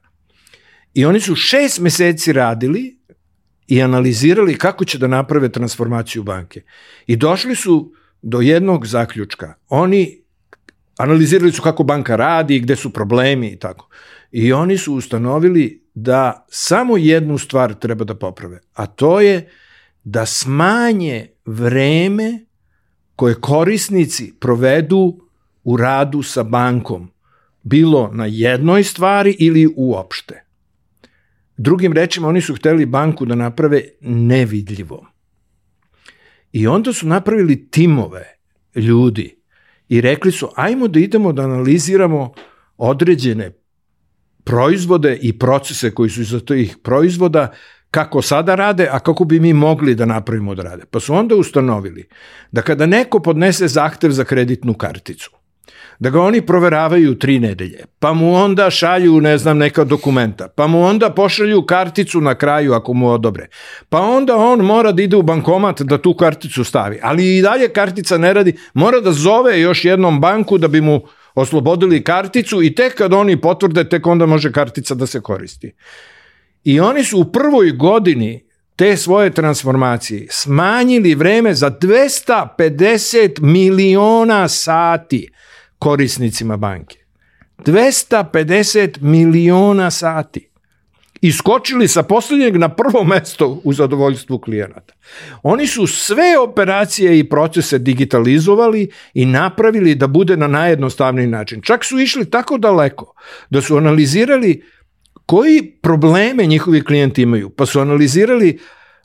I oni su šest meseci radili i analizirali kako će da naprave transformaciju banke. I došli su do jednog zaključka. Oni analizirali su kako banka radi, gde su problemi i tako. I oni su ustanovili da samo jednu stvar treba da poprave, a to je da smanje vreme koje korisnici provedu u radu sa bankom, bilo na jednoj stvari ili uopšte. Drugim rečima, oni su hteli banku da naprave nevidljivom. I onda su napravili timove ljudi i rekli su, ajmo da idemo da analiziramo određene proizvode i procese koji su iza tih proizvoda, kako sada rade, a kako bi mi mogli da napravimo da rade. Pa su onda ustanovili da kada neko podnese zahtev za kreditnu karticu, da ga oni proveravaju tri nedelje, pa mu onda šalju, ne znam, neka dokumenta, pa mu onda pošalju karticu na kraju ako mu odobre, pa onda on mora da ide u bankomat da tu karticu stavi, ali i dalje kartica ne radi, mora da zove još jednom banku da bi mu oslobodili karticu i tek kad oni potvrde, tek onda može kartica da se koristi. I oni su u prvoj godini te svoje transformacije smanjili vreme za dvesta pedeset miliona sati korisnicima banke. dvesta pedeset miliona sati. Iskočili sa posljednjeg na prvo mesto u zadovoljstvu klijenata. Oni su sve operacije i procese digitalizovali i napravili da bude na najjednostavniji način. Čak su išli tako daleko da su analizirali koji probleme njihovi klijenti imaju. Pa su analizirali,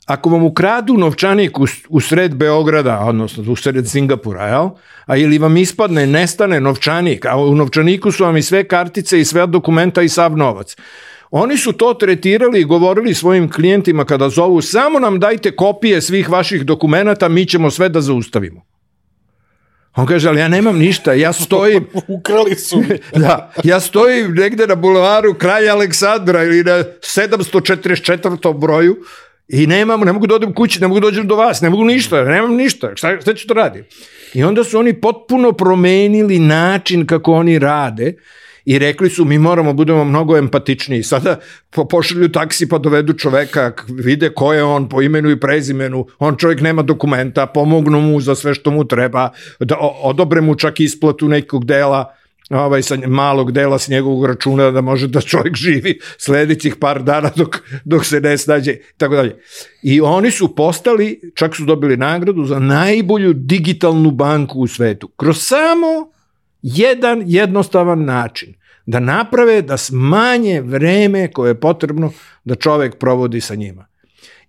ako vam ukradu novčanik u, u sred Beograda, odnosno u sred Singapura, jel? A ili vam ispadne, nestane novčanik, a u novčaniku su vam i sve kartice i sve dokumenta i sav novac. Oni su to tretirali i govorili svojim klijentima kada zovu, samo nam dajte kopije svih vaših dokumenata, mi ćemo sve da zaustavimo. On kaže, ali ja nemam ništa, ja stojim... Ukrali su. Da, ja stojim negde na bulevaru Kralja Aleksandra ili na sedamsto četrdeset četvrtom broju i nemam, ne mogu da odem kući, ne mogu da dođem do vas, ne mogu ništa, nemam ništa, šta, šta ću to raditi? I onda su oni potpuno promenili način kako oni rade i rekli su, mi moramo budemo mnogo empatičniji. Sada pošalju taksi pa dovedu čoveka, vide ko je on po imenu i prezimenu, on čovjek nema dokumenta, pomognu mu za sve što mu treba, da odobre mu čak isplatu nekog dela, ovaj, sa malog dela s njegovog računa da može da čovjek živi sledećih par dana dok, dok se ne snađe, tako dalje. I oni su postali, čak su dobili nagradu za najbolju digitalnu banku u svetu. Kroz samo jedan jednostavan način da naprave da smanje vreme koje je potrebno da čovjek provodi sa njima.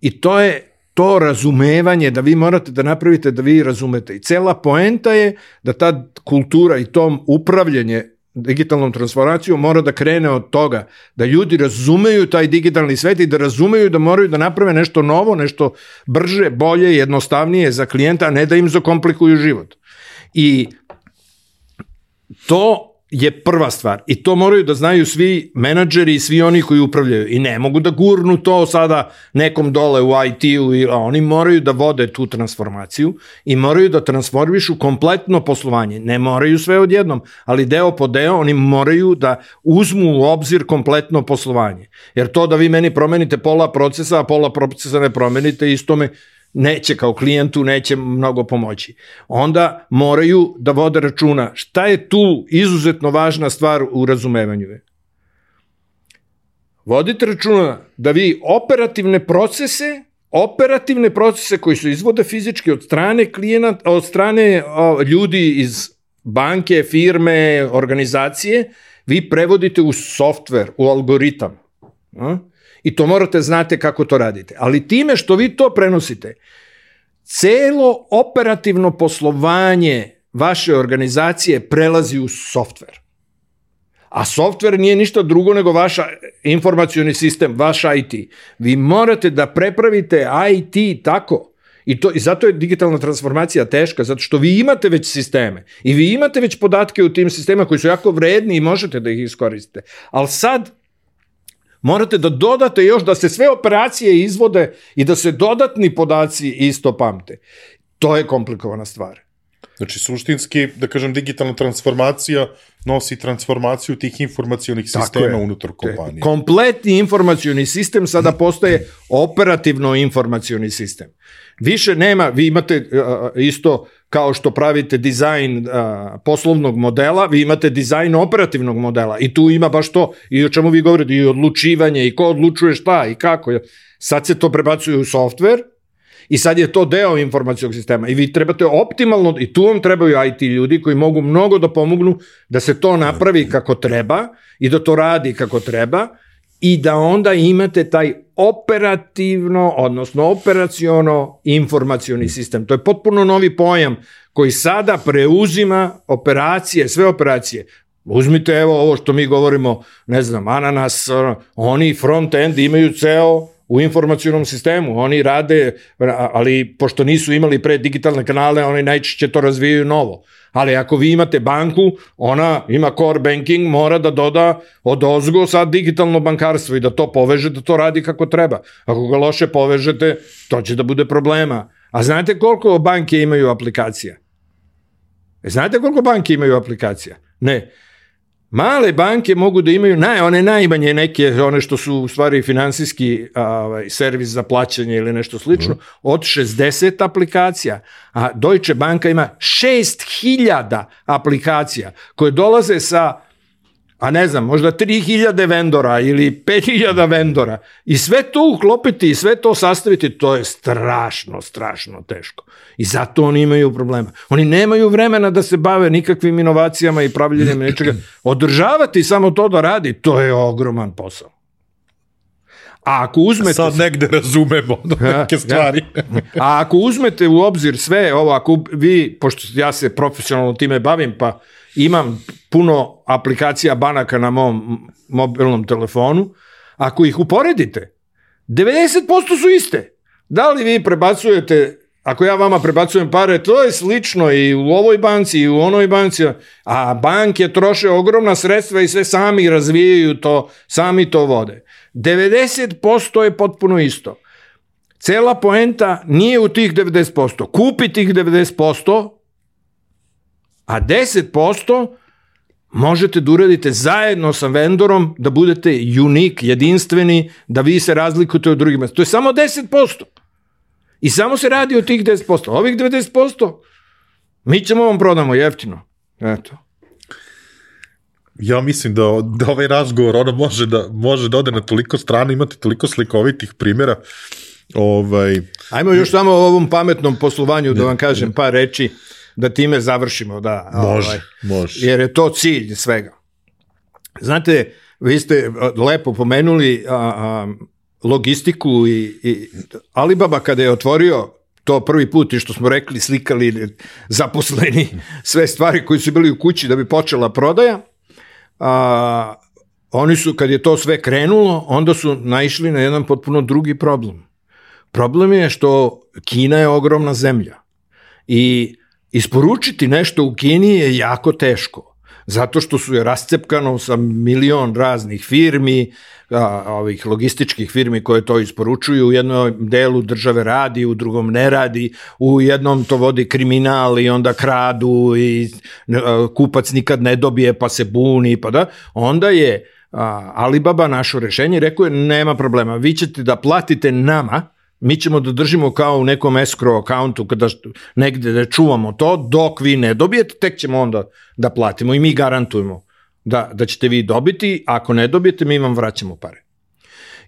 I to je to razumevanje, da vi morate da napravite da vi razumete. I cela poenta je da ta kultura i to upravljanje digitalnom transformacijom mora da krene od toga da ljudi razumeju taj digitalni svet i da razumeju da moraju da naprave nešto novo, nešto brže, bolje, jednostavnije za klijenta, a ne da im zakomplikuju život. I to je prva stvar. I to moraju da znaju svi menadžeri i svi oni koji upravljaju. I ne mogu da gurnu to sada nekom dole u I T-u. Oni moraju da vode tu transformaciju i moraju da transformišu kompletno poslovanje. Ne moraju sve odjednom, ali deo po deo oni moraju da uzmu u obzir kompletno poslovanje. Jer to da vi meni promenite pola procesa, a pola procesa ne promenite, isto me neće kao klijentu, neće mnogo pomoći. Onda moraju da vode računa. Šta je tu izuzetno važna stvar u razumevanju? Vodite računa da vi operativne procese, operativne procese koji se izvode fizički od strane klijenata, od strane o, ljudi iz banke, firme, organizacije, vi prevodite u softver, u algoritam. A? I to morate znate kako to radite. Ali time što vi to prenosite, celo operativno poslovanje vaše organizacije prelazi u softver. A softver nije ništa drugo nego vaš informacioni sistem, vaš I T. Vi morate da prepravite I T tako. I, to, I zato je digitalna transformacija teška, zato što vi imate već sisteme i vi imate već podatke u tim sistemima koji su jako vredni i možete da ih iskoristite. Ali sad morate da dodate još da se sve operacije izvode i da se dodatni podaci isto pamte. To je komplikovana stvar. Znači, suštinski, da kažem, digitalna transformacija nosi transformaciju tih informacionih sistema unutar kompanije. Kompletni informacioni sistem sada postaje operativno informacioni sistem. Više nema, vi imate uh, isto kao što pravite dizajn uh, poslovnog modela, vi imate dizajn operativnog modela i tu ima baš to i o čemu vi govorite, i odlučivanje i ko odlučuje šta i kako. Sad se to prebacuje u softver i sad je to deo informacijog sistema i vi trebate optimalno, i tu vam trebaju I T ljudi koji mogu mnogo da pomognu da se to napravi kako treba i da to radi kako treba i da onda imate taj operativno, odnosno operaciono informacioni sistem. To je potpuno novi pojam koji sada preuzima operacije, sve operacije. Uzmite evo ovo što mi govorimo, ne znam, ananas, oni front-end imaju ceo u informacionom sistemu, oni rade, ali pošto nisu imali pre digitalne kanale, oni najčešće to razvijaju novo. Ali ako vi imate banku, ona ima core banking, mora da doda od ozgo sad digitalno bankarstvo i da to poveže, da to radi kako treba. Ako ga loše povežete, to će da bude problema. A znate koliko banke imaju aplikacija? E, znate koliko banke imaju aplikacija? Ne. Male banke mogu da imaju naj, one najmanje neke, one što su u stvari finansijski ovaj, servis za plaćanje ili nešto slično, mm. od šezdeset aplikacija. A Deutsche Banka ima šest hiljada aplikacija koje dolaze sa, a ne znam, možda tri hiljade vendora ili pet hiljada vendora. I sve to uklopiti i sve to sastaviti, to je strašno, strašno teško. I zato oni imaju problema. Oni nemaju vremena da se bave nikakvim inovacijama i pravljenjem nečega. Održavati samo to da radi, to je ogroman posao. A ako uzmete... Sad negde razumemo neke stvari. A ako uzmete u obzir sve ovo, ako vi, pošto ja se profesionalno time bavim, pa imam puno aplikacija banaka na mom mobilnom telefonu, ako ih uporedite, devedeset posto su iste. Da li vi prebacujete, ako ja vama prebacujem pare, to je slično i u ovoj banci i u onoj banci, a banke troše ogromna sredstva i sve sami razvijaju to, sami to vode. devedeset posto je potpuno isto. Cela poenta nije u tih devedeset posto. Kupi tih devedeset posto, a deset posto možete da uradite zajedno sa vendorom, da budete unik, jedinstveni, da vi se razlikujete od drugih mesta. To je samo deset posto. I samo se radi o tih deset posto. Ovih devedeset posto mi ćemo vam prodamo jeftino. Eto. Ja mislim da, da ovaj razgovor ono može da, može da ode na toliko strana, imate toliko slikovitih primjera. Ovaj... Ajmo još samo o ovom pametnom poslovanju da vam kažem par reči, da time završimo. Da, može, ovaj, može. Jer je to cilj svega. Znate, vi ste lepo pomenuli a, a, logistiku i, i Alibaba kada je otvorio to prvi put i što smo rekli, slikali zaposleni sve stvari koji su bili u kući da bi počela prodaja, a, oni su, kad je to sve krenulo, onda su naišli na jedan potpuno drugi problem. Problem je što Kina je ogromna zemlja i isporučiti nešto u Kini je jako teško, zato što su je rascepkano sa milion raznih firmi, a, ovih logističkih firmi koje to isporučuju, u jednom delu države radi, u drugom ne radi, u jednom to vodi kriminal i onda kradu i a, kupac nikad ne dobije pa se buni, pa da, onda je a, Alibaba našo rešenje i rekao je nema problema, vi ćete da platite nama, mi ćemo da držimo kao u nekom escrow accountu kada negde da čuvamo to, dok vi ne dobijete, tek ćemo onda da platimo i mi garantujemo da, da ćete vi dobiti, ako ne dobijete mi vam vraćamo pare.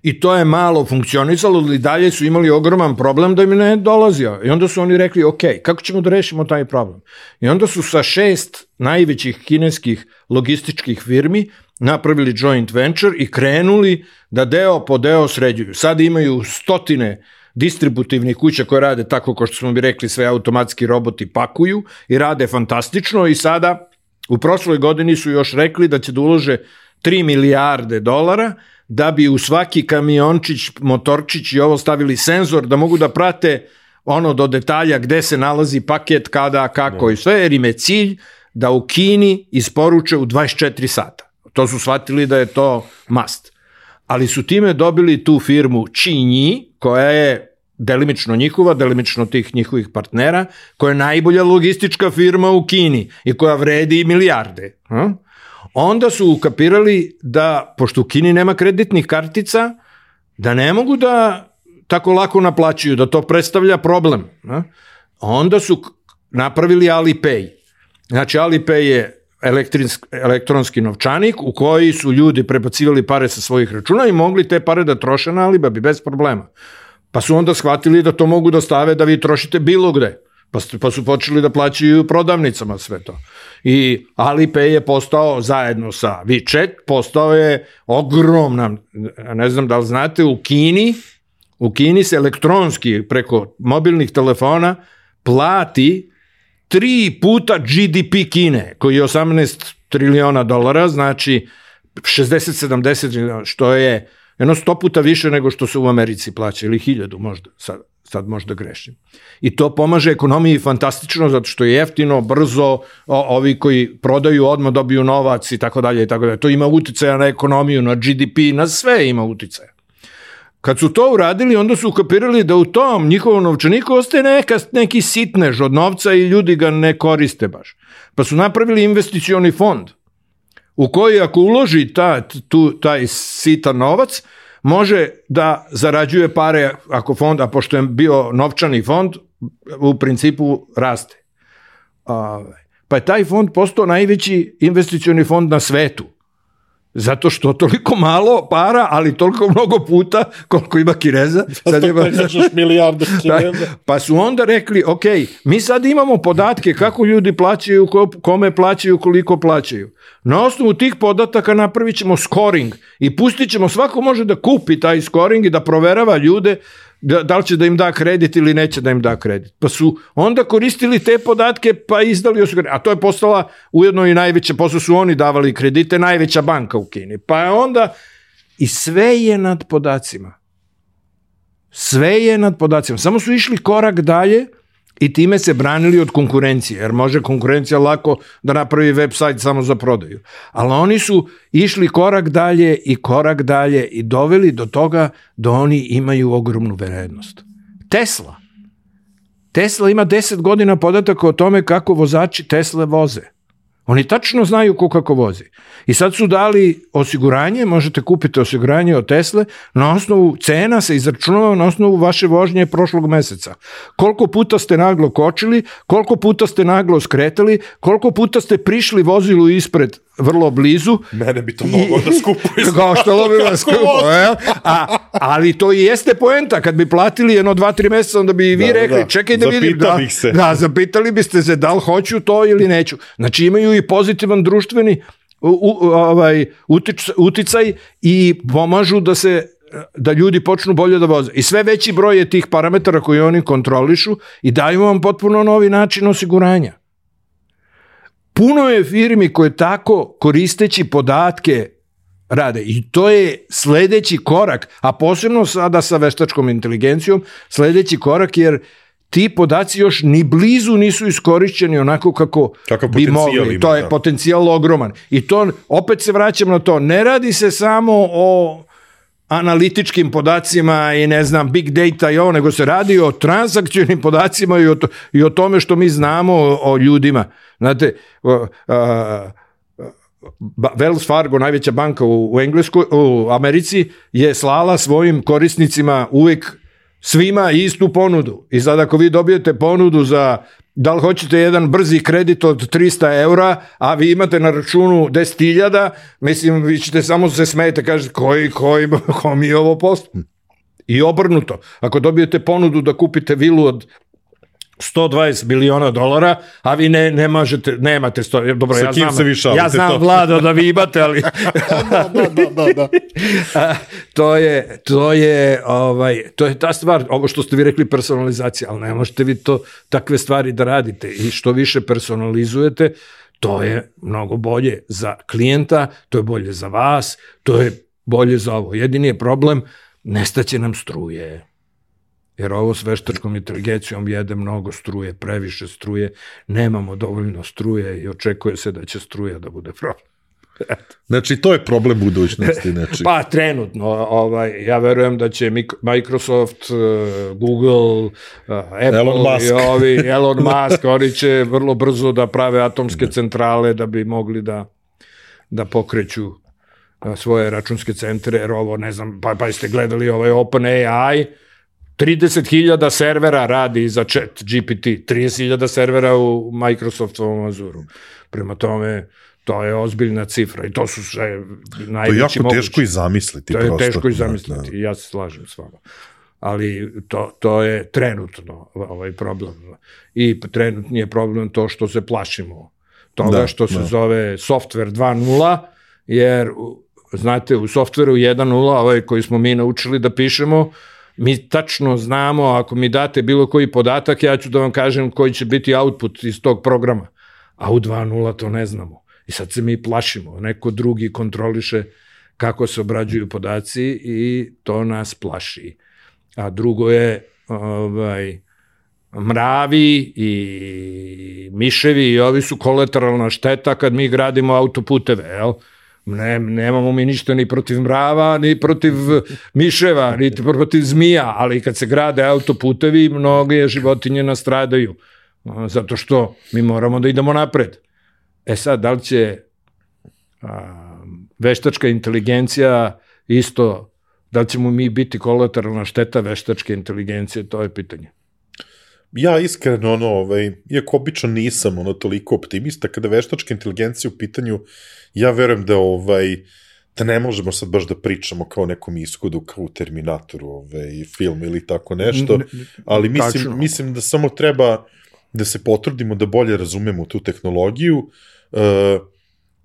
I to je malo funkcionisalo, ali dalje su imali ogroman problem da im ne dolazio. I onda su oni rekli, ok, kako ćemo da rešimo taj problem? I onda su sa šest najvećih kineskih logističkih firmi napravili joint venture i krenuli da deo po deo sređuju. Sad imaju stotine distributivnih kuća koje rade tako kao što smo bi rekli, sve automatski roboti pakuju i rade fantastično i sada u prošloj godini su još rekli da će da ulože tri milijarde dolara da bi u svaki kamiončić, motorčić i ovo stavili senzor da mogu da prate ono do detalja gde se nalazi paket, kada, kako no. i sve, jer im je cilj da u Kini isporuče u dvadeset četiri sata. To su shvatili da je to must. Ali su time dobili tu firmu Qinyi, koja je delimično njihova, delimično tih njihovih partnera, koja je najbolja logistička firma u Kini i koja vredi milijarde. Onda su ukapirali da, pošto u Kini nema kreditnih kartica, da ne mogu da tako lako naplaćuju, da to predstavlja problem. Onda su napravili Alipay. Znači Alipay je elektronski novčanik u koji su ljudi prebacivali pare sa svojih računa i mogli te pare da troše na Alibabi bez problema. Pa su onda shvatili da to mogu da stave da vi trošite bilo gde. Pa, pa su počeli da plaćaju prodavnicama sve to. I Alipay je postao zajedno sa WeChat, postao je ogromna, ne znam da li znate, u Kini, u Kini se elektronski preko mobilnih telefona plati tri puta G D P Kine, koji je osamnaest triliona dolara, znači šezdeset sedamdeset, što je jedno sto puta više nego što se u Americi plaća, ili hiljadu možda, sad, sad možda grešim. I to pomaže ekonomiji fantastično, zato što je jeftino, brzo, o, ovi koji prodaju odmah dobiju novac i tako dalje i tako dalje. To ima uticaja na ekonomiju, na G D P, na sve ima uticaja. Kad su to uradili, onda su ukapirali da u tom njihovom novčaniku ostaje neka, neki sitnež od novca i ljudi ga ne koriste baš. Pa su napravili investicioni fond u koji ako uloži ta, tu, taj sitan novac, može da zarađuje pare ako fond, a pošto je bio novčani fond, u principu raste. Pa je taj fond postao najveći investicioni fond na svetu. Zato što toliko malo para, ali toliko mnogo puta koliko ima Kineza. Sad ima... milijarde Kineza. Pa su onda rekli, ok, mi sad imamo podatke kako ljudi plaćaju, kome plaćaju, koliko plaćaju. Na osnovu tih podataka napravit ćemo scoring i pustit ćemo, svako može da kupi taj scoring i da proverava ljude da, da li će da im da kredit ili neće da im da kredit. Pa su onda koristili te podatke pa izdali osiguranje. A to je postala ujedno i najveća, posle su oni davali kredite, najveća banka u Kini. Pa je onda, i sve je nad podacima. Sve je nad podacima. Samo su išli korak dalje i time se branili od konkurencije, jer može konkurencija lako da napravi web sajt samo za prodaju. Ali oni su išli korak dalje i korak dalje i doveli do toga da oni imaju ogromnu vrednost. Tesla. Tesla ima deset godina podataka o tome kako vozači Tesle voze. Oni tačno znaju ko kako vozi. I sad su dali osiguranje, možete kupiti osiguranje od Tesle, na osnovu cena se izračunava na osnovu vaše vožnje prošlog meseca. Koliko puta ste naglo kočili, koliko puta ste naglo skretali, koliko puta ste prišli vozilu ispred vrlo blizu. Mene bi to moglo da skupuje. Kao što lo bi vas skupuje. A, ali to i jeste poenta. Kad bi platili jedno dva, tri meseca, onda bi i vi da, rekli, da. čekaj da vidim. Da, da, zapitali biste se da li hoću to ili neću. Znači imaju i pozitivan društveni u, u, ovaj, utic, uticaj i pomažu da se da ljudi počnu bolje da voze. I sve veći broj je tih parametara koji oni kontrolišu i daju vam potpuno novi način osiguranja. Puno je firmi koje tako koristeći podatke rade i to je sledeći korak, a posebno sada sa veštačkom inteligencijom, sledeći korak jer ti podaci još ni blizu nisu iskorišćeni onako kako Kakav bi mogli. Ima, to je da. potencijal ogroman. I to, opet se vraćam na to, ne radi se samo o analitičkim podacima i ne znam, big data i ovo, nego se radi o transakcionim podacima i o, to, i o tome što mi znamo o, o ljudima. Znate, uh, uh, Wells Fargo, najveća banka u, u Engleskoj, u Americi, je slala svojim korisnicima uvek svima istu ponudu. I sad ako vi dobijete ponudu za da li hoćete jedan brzi kredit od trista eura, a vi imate na računu deset hiljada, mislim, vi ćete samo se smijete, kažete, koji, koji, ko mi je ovo posao? I obrnuto. Ako dobijete ponudu da kupite vilu od sto dvadeset miliona dolara, a vi ne, ne možete, nemate sto, dobro, sa ja znam, se vi šalite, ja znam to. Vlado da vi imate, ali da, da, da, da, da. a, to je, to je, ovaj, to je ta stvar, ovo što ste vi rekli personalizacija, ali ne možete vi to, takve stvari da radite i što više personalizujete, to je mnogo bolje za klijenta, to je bolje za vas, to je bolje za ovo. Jedini je problem, nestaće nam struje. Jer ovo s veštačkom inteligencijom jede mnogo struje, previše struje, nemamo dovoljno struje i očekuje se da će struja da bude problem. Znači, to je problem budućnosti. Znači. Pa, trenutno. Ovaj, ja verujem da će Microsoft, Google, Apple Elon Musk. i ovi, Elon Musk, oni će vrlo brzo da prave atomske centrale da bi mogli da, da pokreću svoje računske centre, jer ovo, ne znam, pa, pa ste gledali ovaj OpenAI, trideset hiljada servera radi za chat G P T, trideset hiljada servera u Microsoftovom Azuru. Prema tome, to je ozbiljna cifra i to su sve najveći mogući. To je jako mogući. Teško i zamisliti. To je prosto. teško i zamisliti, i ja se slažem s vama. Ali to, to je trenutno ovaj problem. I trenutni je problem to što se plašimo toga da, što se da. zove software dva nula, jer, znate, u softveru jedan nula, ovaj koji smo mi naučili da pišemo, mi tačno znamo, ako mi date bilo koji podatak, ja ću da vam kažem koji će biti output iz tog programa. A u dva nula to ne znamo. I sad se mi plašimo. Neko drugi kontroliše kako se obrađuju podaci i to nas plaši. A drugo je ovaj, mravi i miševi i ovi su kolateralna šteta kad mi gradimo autoputeve, jel? Ne, nemamo mi ništa ni protiv mrava, ni protiv miševa, ni protiv zmija, ali kad se grade autoputevi, mnoge životinje nastradaju, zato što mi moramo da idemo napred. E sad, da li će a, veštačka inteligencija isto, da li ćemo mi biti kolateralna šteta veštačke inteligencije, to je pitanje. Ja iskreno, ono, ovaj, iako obično nisam ono toliko optimista, kada veštačka inteligencija u pitanju, ja verujem da, ovaj, da ne možemo sad baš da pričamo kao nekom ishodu, kao u Terminatoru, ovaj, film ili tako nešto, ali mislim, mislim da samo treba da se potrudimo da bolje razumemo tu tehnologiju uh,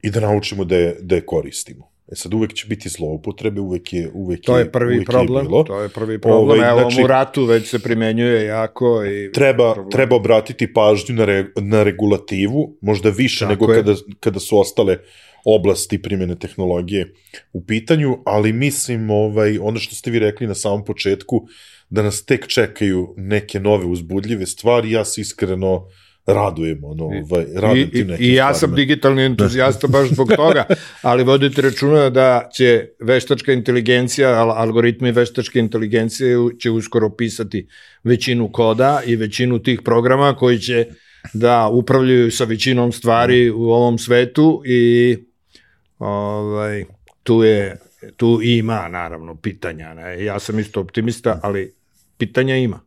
i da naučimo da je, da je koristimo. E sad, uvek će biti zloupotrebe, uvek je, uvek to je prvi uvek problem, je to je prvi problem, ovaj, evo znači, u ratu već se primenjuje jako i treba, treba obratiti pažnju na, re, na regulativu, možda više tako nego kada, kada su ostale oblasti primjene tehnologije u pitanju, ali mislim, ovaj, ono što ste vi rekli na samom početku, da nas tek čekaju neke nove uzbudljive stvari, ja se iskreno radujem, ono, ovaj, radujem tim nekim I, i ja stvarima. sam digitalni entuzijasta baš zbog toga, ali vodite računa da će veštačka inteligencija, algoritmi veštačke inteligencije će uskoro pisati većinu koda i većinu tih programa koji će da upravljaju sa većinom stvari u ovom svetu i ovaj, tu je, tu ima naravno pitanja. Ne? Ja sam isto optimista, ali pitanja ima.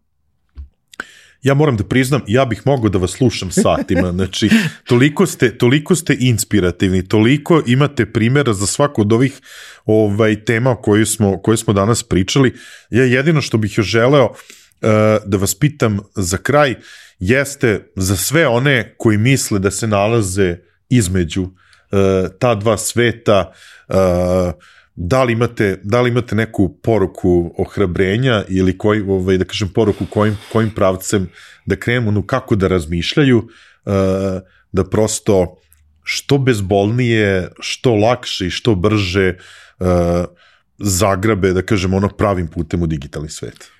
Ja moram da priznam, ja bih mogao da vas slušam satima, znači, toliko ste, toliko ste inspirativni, toliko imate primjera za svaku od ovih ovaj, tema koje smo, koje smo danas pričali. Ja jedino što bih još želeo uh, da vas pitam za kraj, jeste za sve one koji misle da se nalaze između uh, ta dva sveta, uh, da li imate, da li imate neku poruku ohrabrenja ili koji, ovaj, da kažem, poruku kojim, kojim pravcem da krenemo, no kako da razmišljaju, uh, da prosto što bezbolnije, što lakše i što brže uh, zagrabe, da kažem, ono pravim putem u digitalni svet.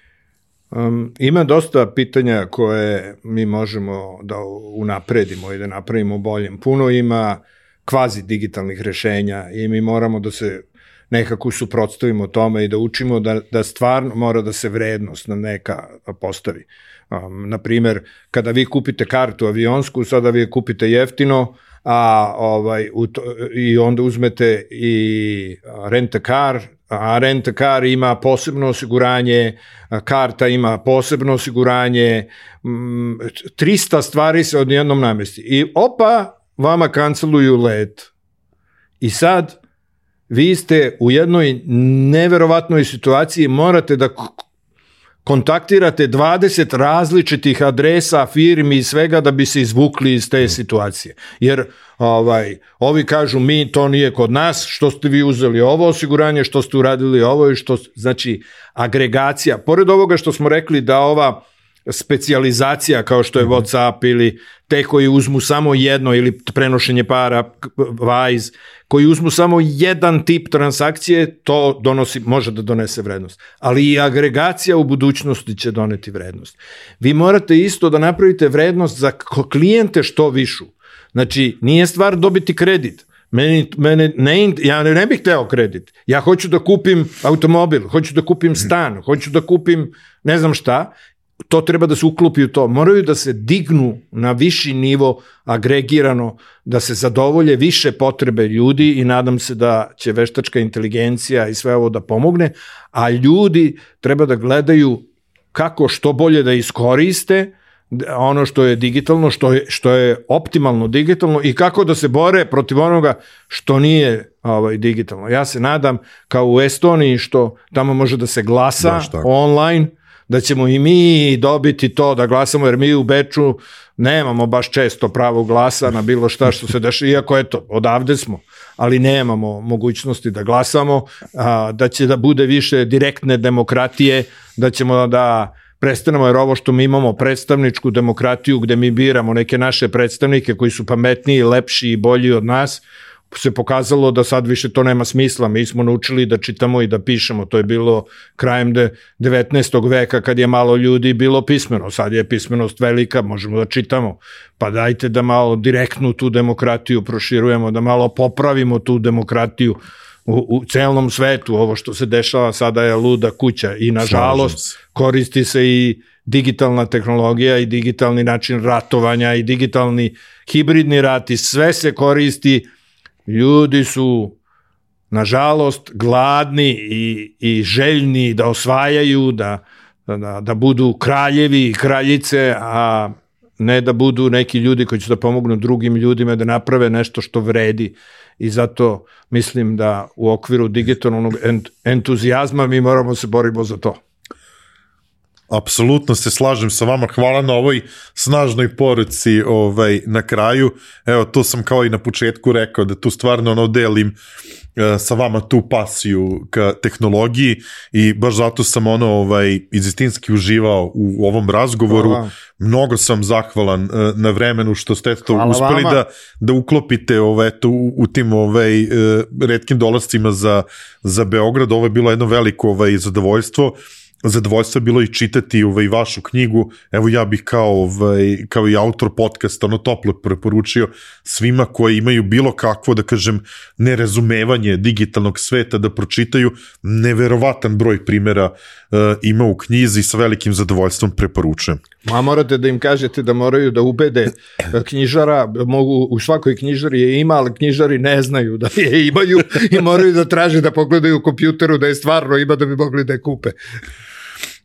Um, ima dosta pitanja koje mi možemo da unapredimo i da napravimo boljim. Puno ima kvazi digitalnih rešenja i mi moramo da se nekako suprotstavimo tome i da učimo da, da stvarno mora da se vrednost na neka postavi. Um, naprimer, kada vi kupite kartu avionsku, sada vi je kupite jeftino, a ovaj u to, i onda uzmete i rent a car, a rent a car ima posebno osiguranje, karta ima posebno osiguranje, trista stvari se odjednom namesti. I opa, vama kanceluju let. I sad vi ste u jednoj neverovatnoj situaciji, morate da kontaktirate dvadeset različitih adresa, firmi i svega da bi se izvukli iz te situacije. Jer ovaj, ovi kažu mi, to nije kod nas, što ste vi uzeli ovo osiguranje, što ste uradili ovo i što, znači, agregacija. Pored ovoga što smo rekli da ova specijalizacija kao što je WhatsApp ili te koji uzmu samo jedno ili prenošenje para, Wise, koji uzmu samo jedan tip transakcije, to donosi, može da donese vrednost. Ali i agregacija u budućnosti će doneti vrednost. Vi morate isto da napravite vrednost za klijente što višu. Znači, nije stvar dobiti kredit. Meni, mene ne, ja ne, ne bih hteo kredit. Ja hoću da kupim automobil, hoću da kupim stan, hoću da kupim ne znam šta. To treba da se uklopi u to. Moraju da se dignu na viši nivo agregirano, da se zadovolje više potrebe ljudi i nadam se da će veštačka inteligencija i sve ovo da pomogne, a ljudi treba da gledaju kako što bolje da iskoriste ono što je digitalno, što je, što je optimalno digitalno i kako da se bore protiv onoga što nije ovaj, digitalno. Ja se nadam kao u Estoniji što tamo može da se glasa online, da ćemo i mi dobiti to da glasamo, jer mi u Beču nemamo baš često pravo glasa na bilo šta što se dešava, iako eto, odavde smo, ali nemamo mogućnosti da glasamo, a, da će da bude više direktne demokratije, da ćemo da prestanemo, jer ovo što mi imamo predstavničku demokratiju gde mi biramo neke naše predstavnike koji su pametniji, lepši i bolji od nas, se pokazalo da sad više to nema smisla. Mi smo naučili da čitamo i da pišemo. To je bilo krajem devetnaestog veka kad je malo ljudi bilo pismeno. Sad je pismenost velika, možemo da čitamo. Pa dajte da malo direktnu tu demokratiju proširujemo, da malo popravimo tu demokratiju u, u celom svetu. Ovo što se dešava sada je luda kuća i nažalost koristi se i digitalna tehnologija i digitalni način ratovanja i digitalni hibridni rat i sve se koristi. Ljudi su, nažalost, gladni i, i željni da osvajaju, da, da, da budu kraljevi i kraljice, a ne da budu neki ljudi koji će da pomognu drugim ljudima da naprave nešto što vredi. I zato mislim da u okviru digitalnog entuzijazma mi moramo se borimo za to. Apsolutno se slažem sa vama, hvala na ovoj snažnoj poruci ovaj, na kraju. Evo, to sam kao i na početku rekao, da tu stvarno ono delim uh, sa vama tu pasiju ka tehnologiji i baš zato sam ono ovaj, izistinski uživao u ovom razgovoru. Hvala. Mnogo sam zahvalan uh, na vremenu što ste to hvala uspeli da, da uklopite ovaj, eto, u, u tim ovaj, uh, retkim dolascima za, za Beograd. Ovo je bilo jedno veliko ovaj, zadovoljstvo. Zadovoljstvo je bilo i čitati ovaj, vašu knjigu. Evo ja bih kao, ovaj, kao i autor podcasta ono toplo preporučio svima koji imaju bilo kakvo, da kažem, nerazumevanje digitalnog sveta da pročitaju. Neverovatan broj primjera uh, ima u knjizi, sa velikim zadovoljstvom preporučujem. Ma morate da im kažete da moraju da ubede knjižara, mogu, u svakoj knjižari je ima, ali knjižari ne znaju da je imaju i moraju da traže da pogledaju u kompjuteru da je stvarno ima da bi mogli da je kupe.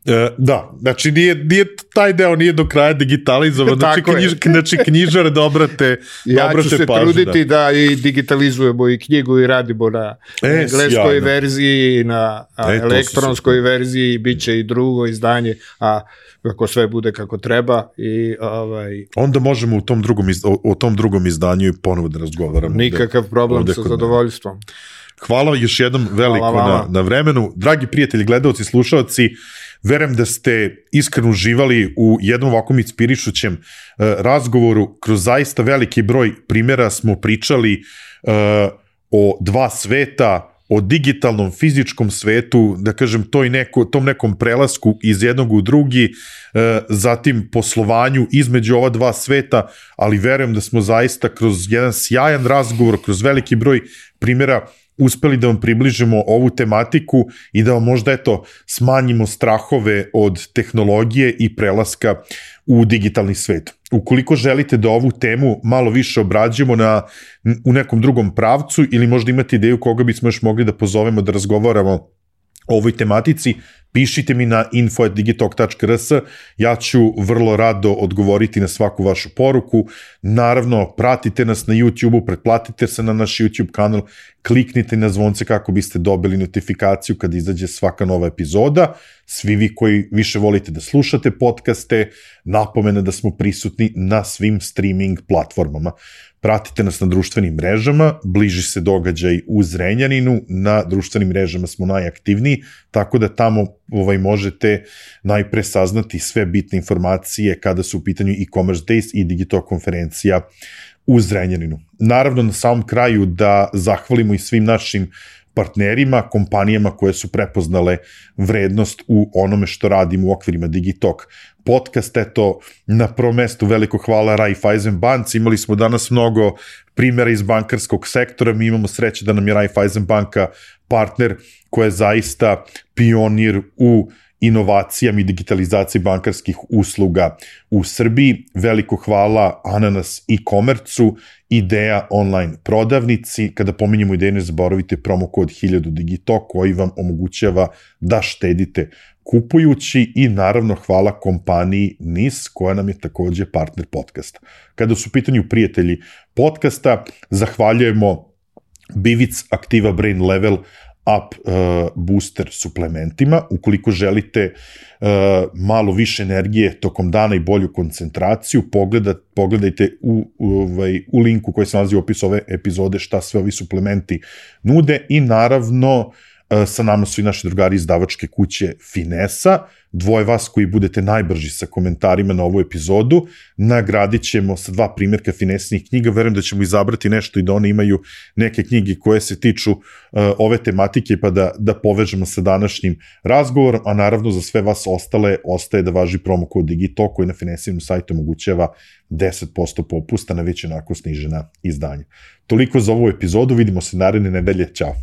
E, da, znači nije, nije, taj deo nije do kraja digitalizovan, znači, knjiž, znači knjižar dobra te ja dobra ću te se pažu, truditi da. da i digitalizujemo i knjigu i radimo na e, engleskoj sjajno. verziji, na e, elektronskoj verziji, bit će i drugo izdanje, a kako sve bude kako treba i ovaj onda možemo u tom drugom iz, o, o tom drugom izdanju i ponovo da razgovaramo. Nikakav problem sa zadovoljstvom. hvala još jednom veliko na, na vremenu. Dragi prijatelji, gledalci, slušalci, verujem da ste iskreno uživali u jednom ovakvom inspirišućem uh, razgovoru. Kroz zaista veliki broj primjera smo pričali uh, o dva sveta, o digitalnom, fizičkom svetu, da kažem, toj neko, tom nekom prelasku iz jednog u drugi, e, zatim poslovanju između ova dva sveta, ali verujem da smo zaista kroz jedan sjajan razgovor, kroz veliki broj primjera uspeli da vam približimo ovu tematiku i da vam možda, eto, smanjimo strahove od tehnologije i prelaska u digitalni svet. Ukoliko želite da ovu temu malo više obrađujemo na, u nekom drugom pravcu ili možda imate ideju koga bismo još mogli da pozovemo da razgovaramo o ovoj tematici, pišite mi na info at digitalk tačka r s, ja ću vrlo rado odgovoriti na svaku vašu poruku. Naravno, pratite nas na YouTube-u, pretplatite se na naš YouTube kanal, kliknite na zvonce kako biste dobili notifikaciju kad izađe svaka nova epizoda. Svi vi koji više volite da slušate podcaste, napomena da smo prisutni na svim streaming platformama. Pratite nas na društvenim mrežama, bliži se događaj u Zrenjaninu, na društvenim mrežama smo najaktivniji, tako da tamo ovaj, možete najpre saznati sve bitne informacije kada su u pitanju e-commerce days i Digitalk konferencija u Zrenjaninu. Naravno, na samom kraju da zahvalimo i svim našim partnerima, kompanijama koje su prepoznale vrednost u onome što radimo u okvirima Digitalk podcast. Eto, na prvom mestu veliko hvala Raiffeisen banci. Imali smo danas mnogo primjera iz bankarskog sektora. Mi imamo sreće da nam je Raiffeisen banka partner koja je zaista pionir u inovacijama i digitalizaciji bankarskih usluga u Srbiji. Veliko hvala Ananas e-commerce-u, Ideja online prodavnici. Kada pominjemo Ideju, ne zaboravite promo kod hiljadu Digitalk koji vam omogućava da štedite kupujući i naravno hvala kompaniji N I S koja nam je takođe partner podcasta. Kada su u pitanju prijatelji podcasta, zahvaljujemo Bivic Activa Brain Level Up uh, booster suplementima. Ukoliko želite uh, malo više energije tokom dana i bolju koncentraciju, pogledat, pogledajte u, u, ovaj, u linku koji se nalazi u opisu ove epizode šta sve ovi suplementi nude i naravno sa nama su i naši drugari izdavačke kuće Finesa. Dvoje vas koji budete najbrži sa komentarima na ovu epizodu nagradit ćemo sa dva primjerka Finesinih knjiga. Verujem da ćemo izabrati nešto i da one imaju neke knjige koje se tiču uh, ove tematike pa da, da povežemo sa današnjim razgovorom, a naravno za sve vas ostale ostaje da važi promo kod Digitalk koji na Finesinom sajtu omogućava deset posto popusta na već onako snižena izdanja. Toliko za ovu epizodu, vidimo se naredne nedelje, ćao!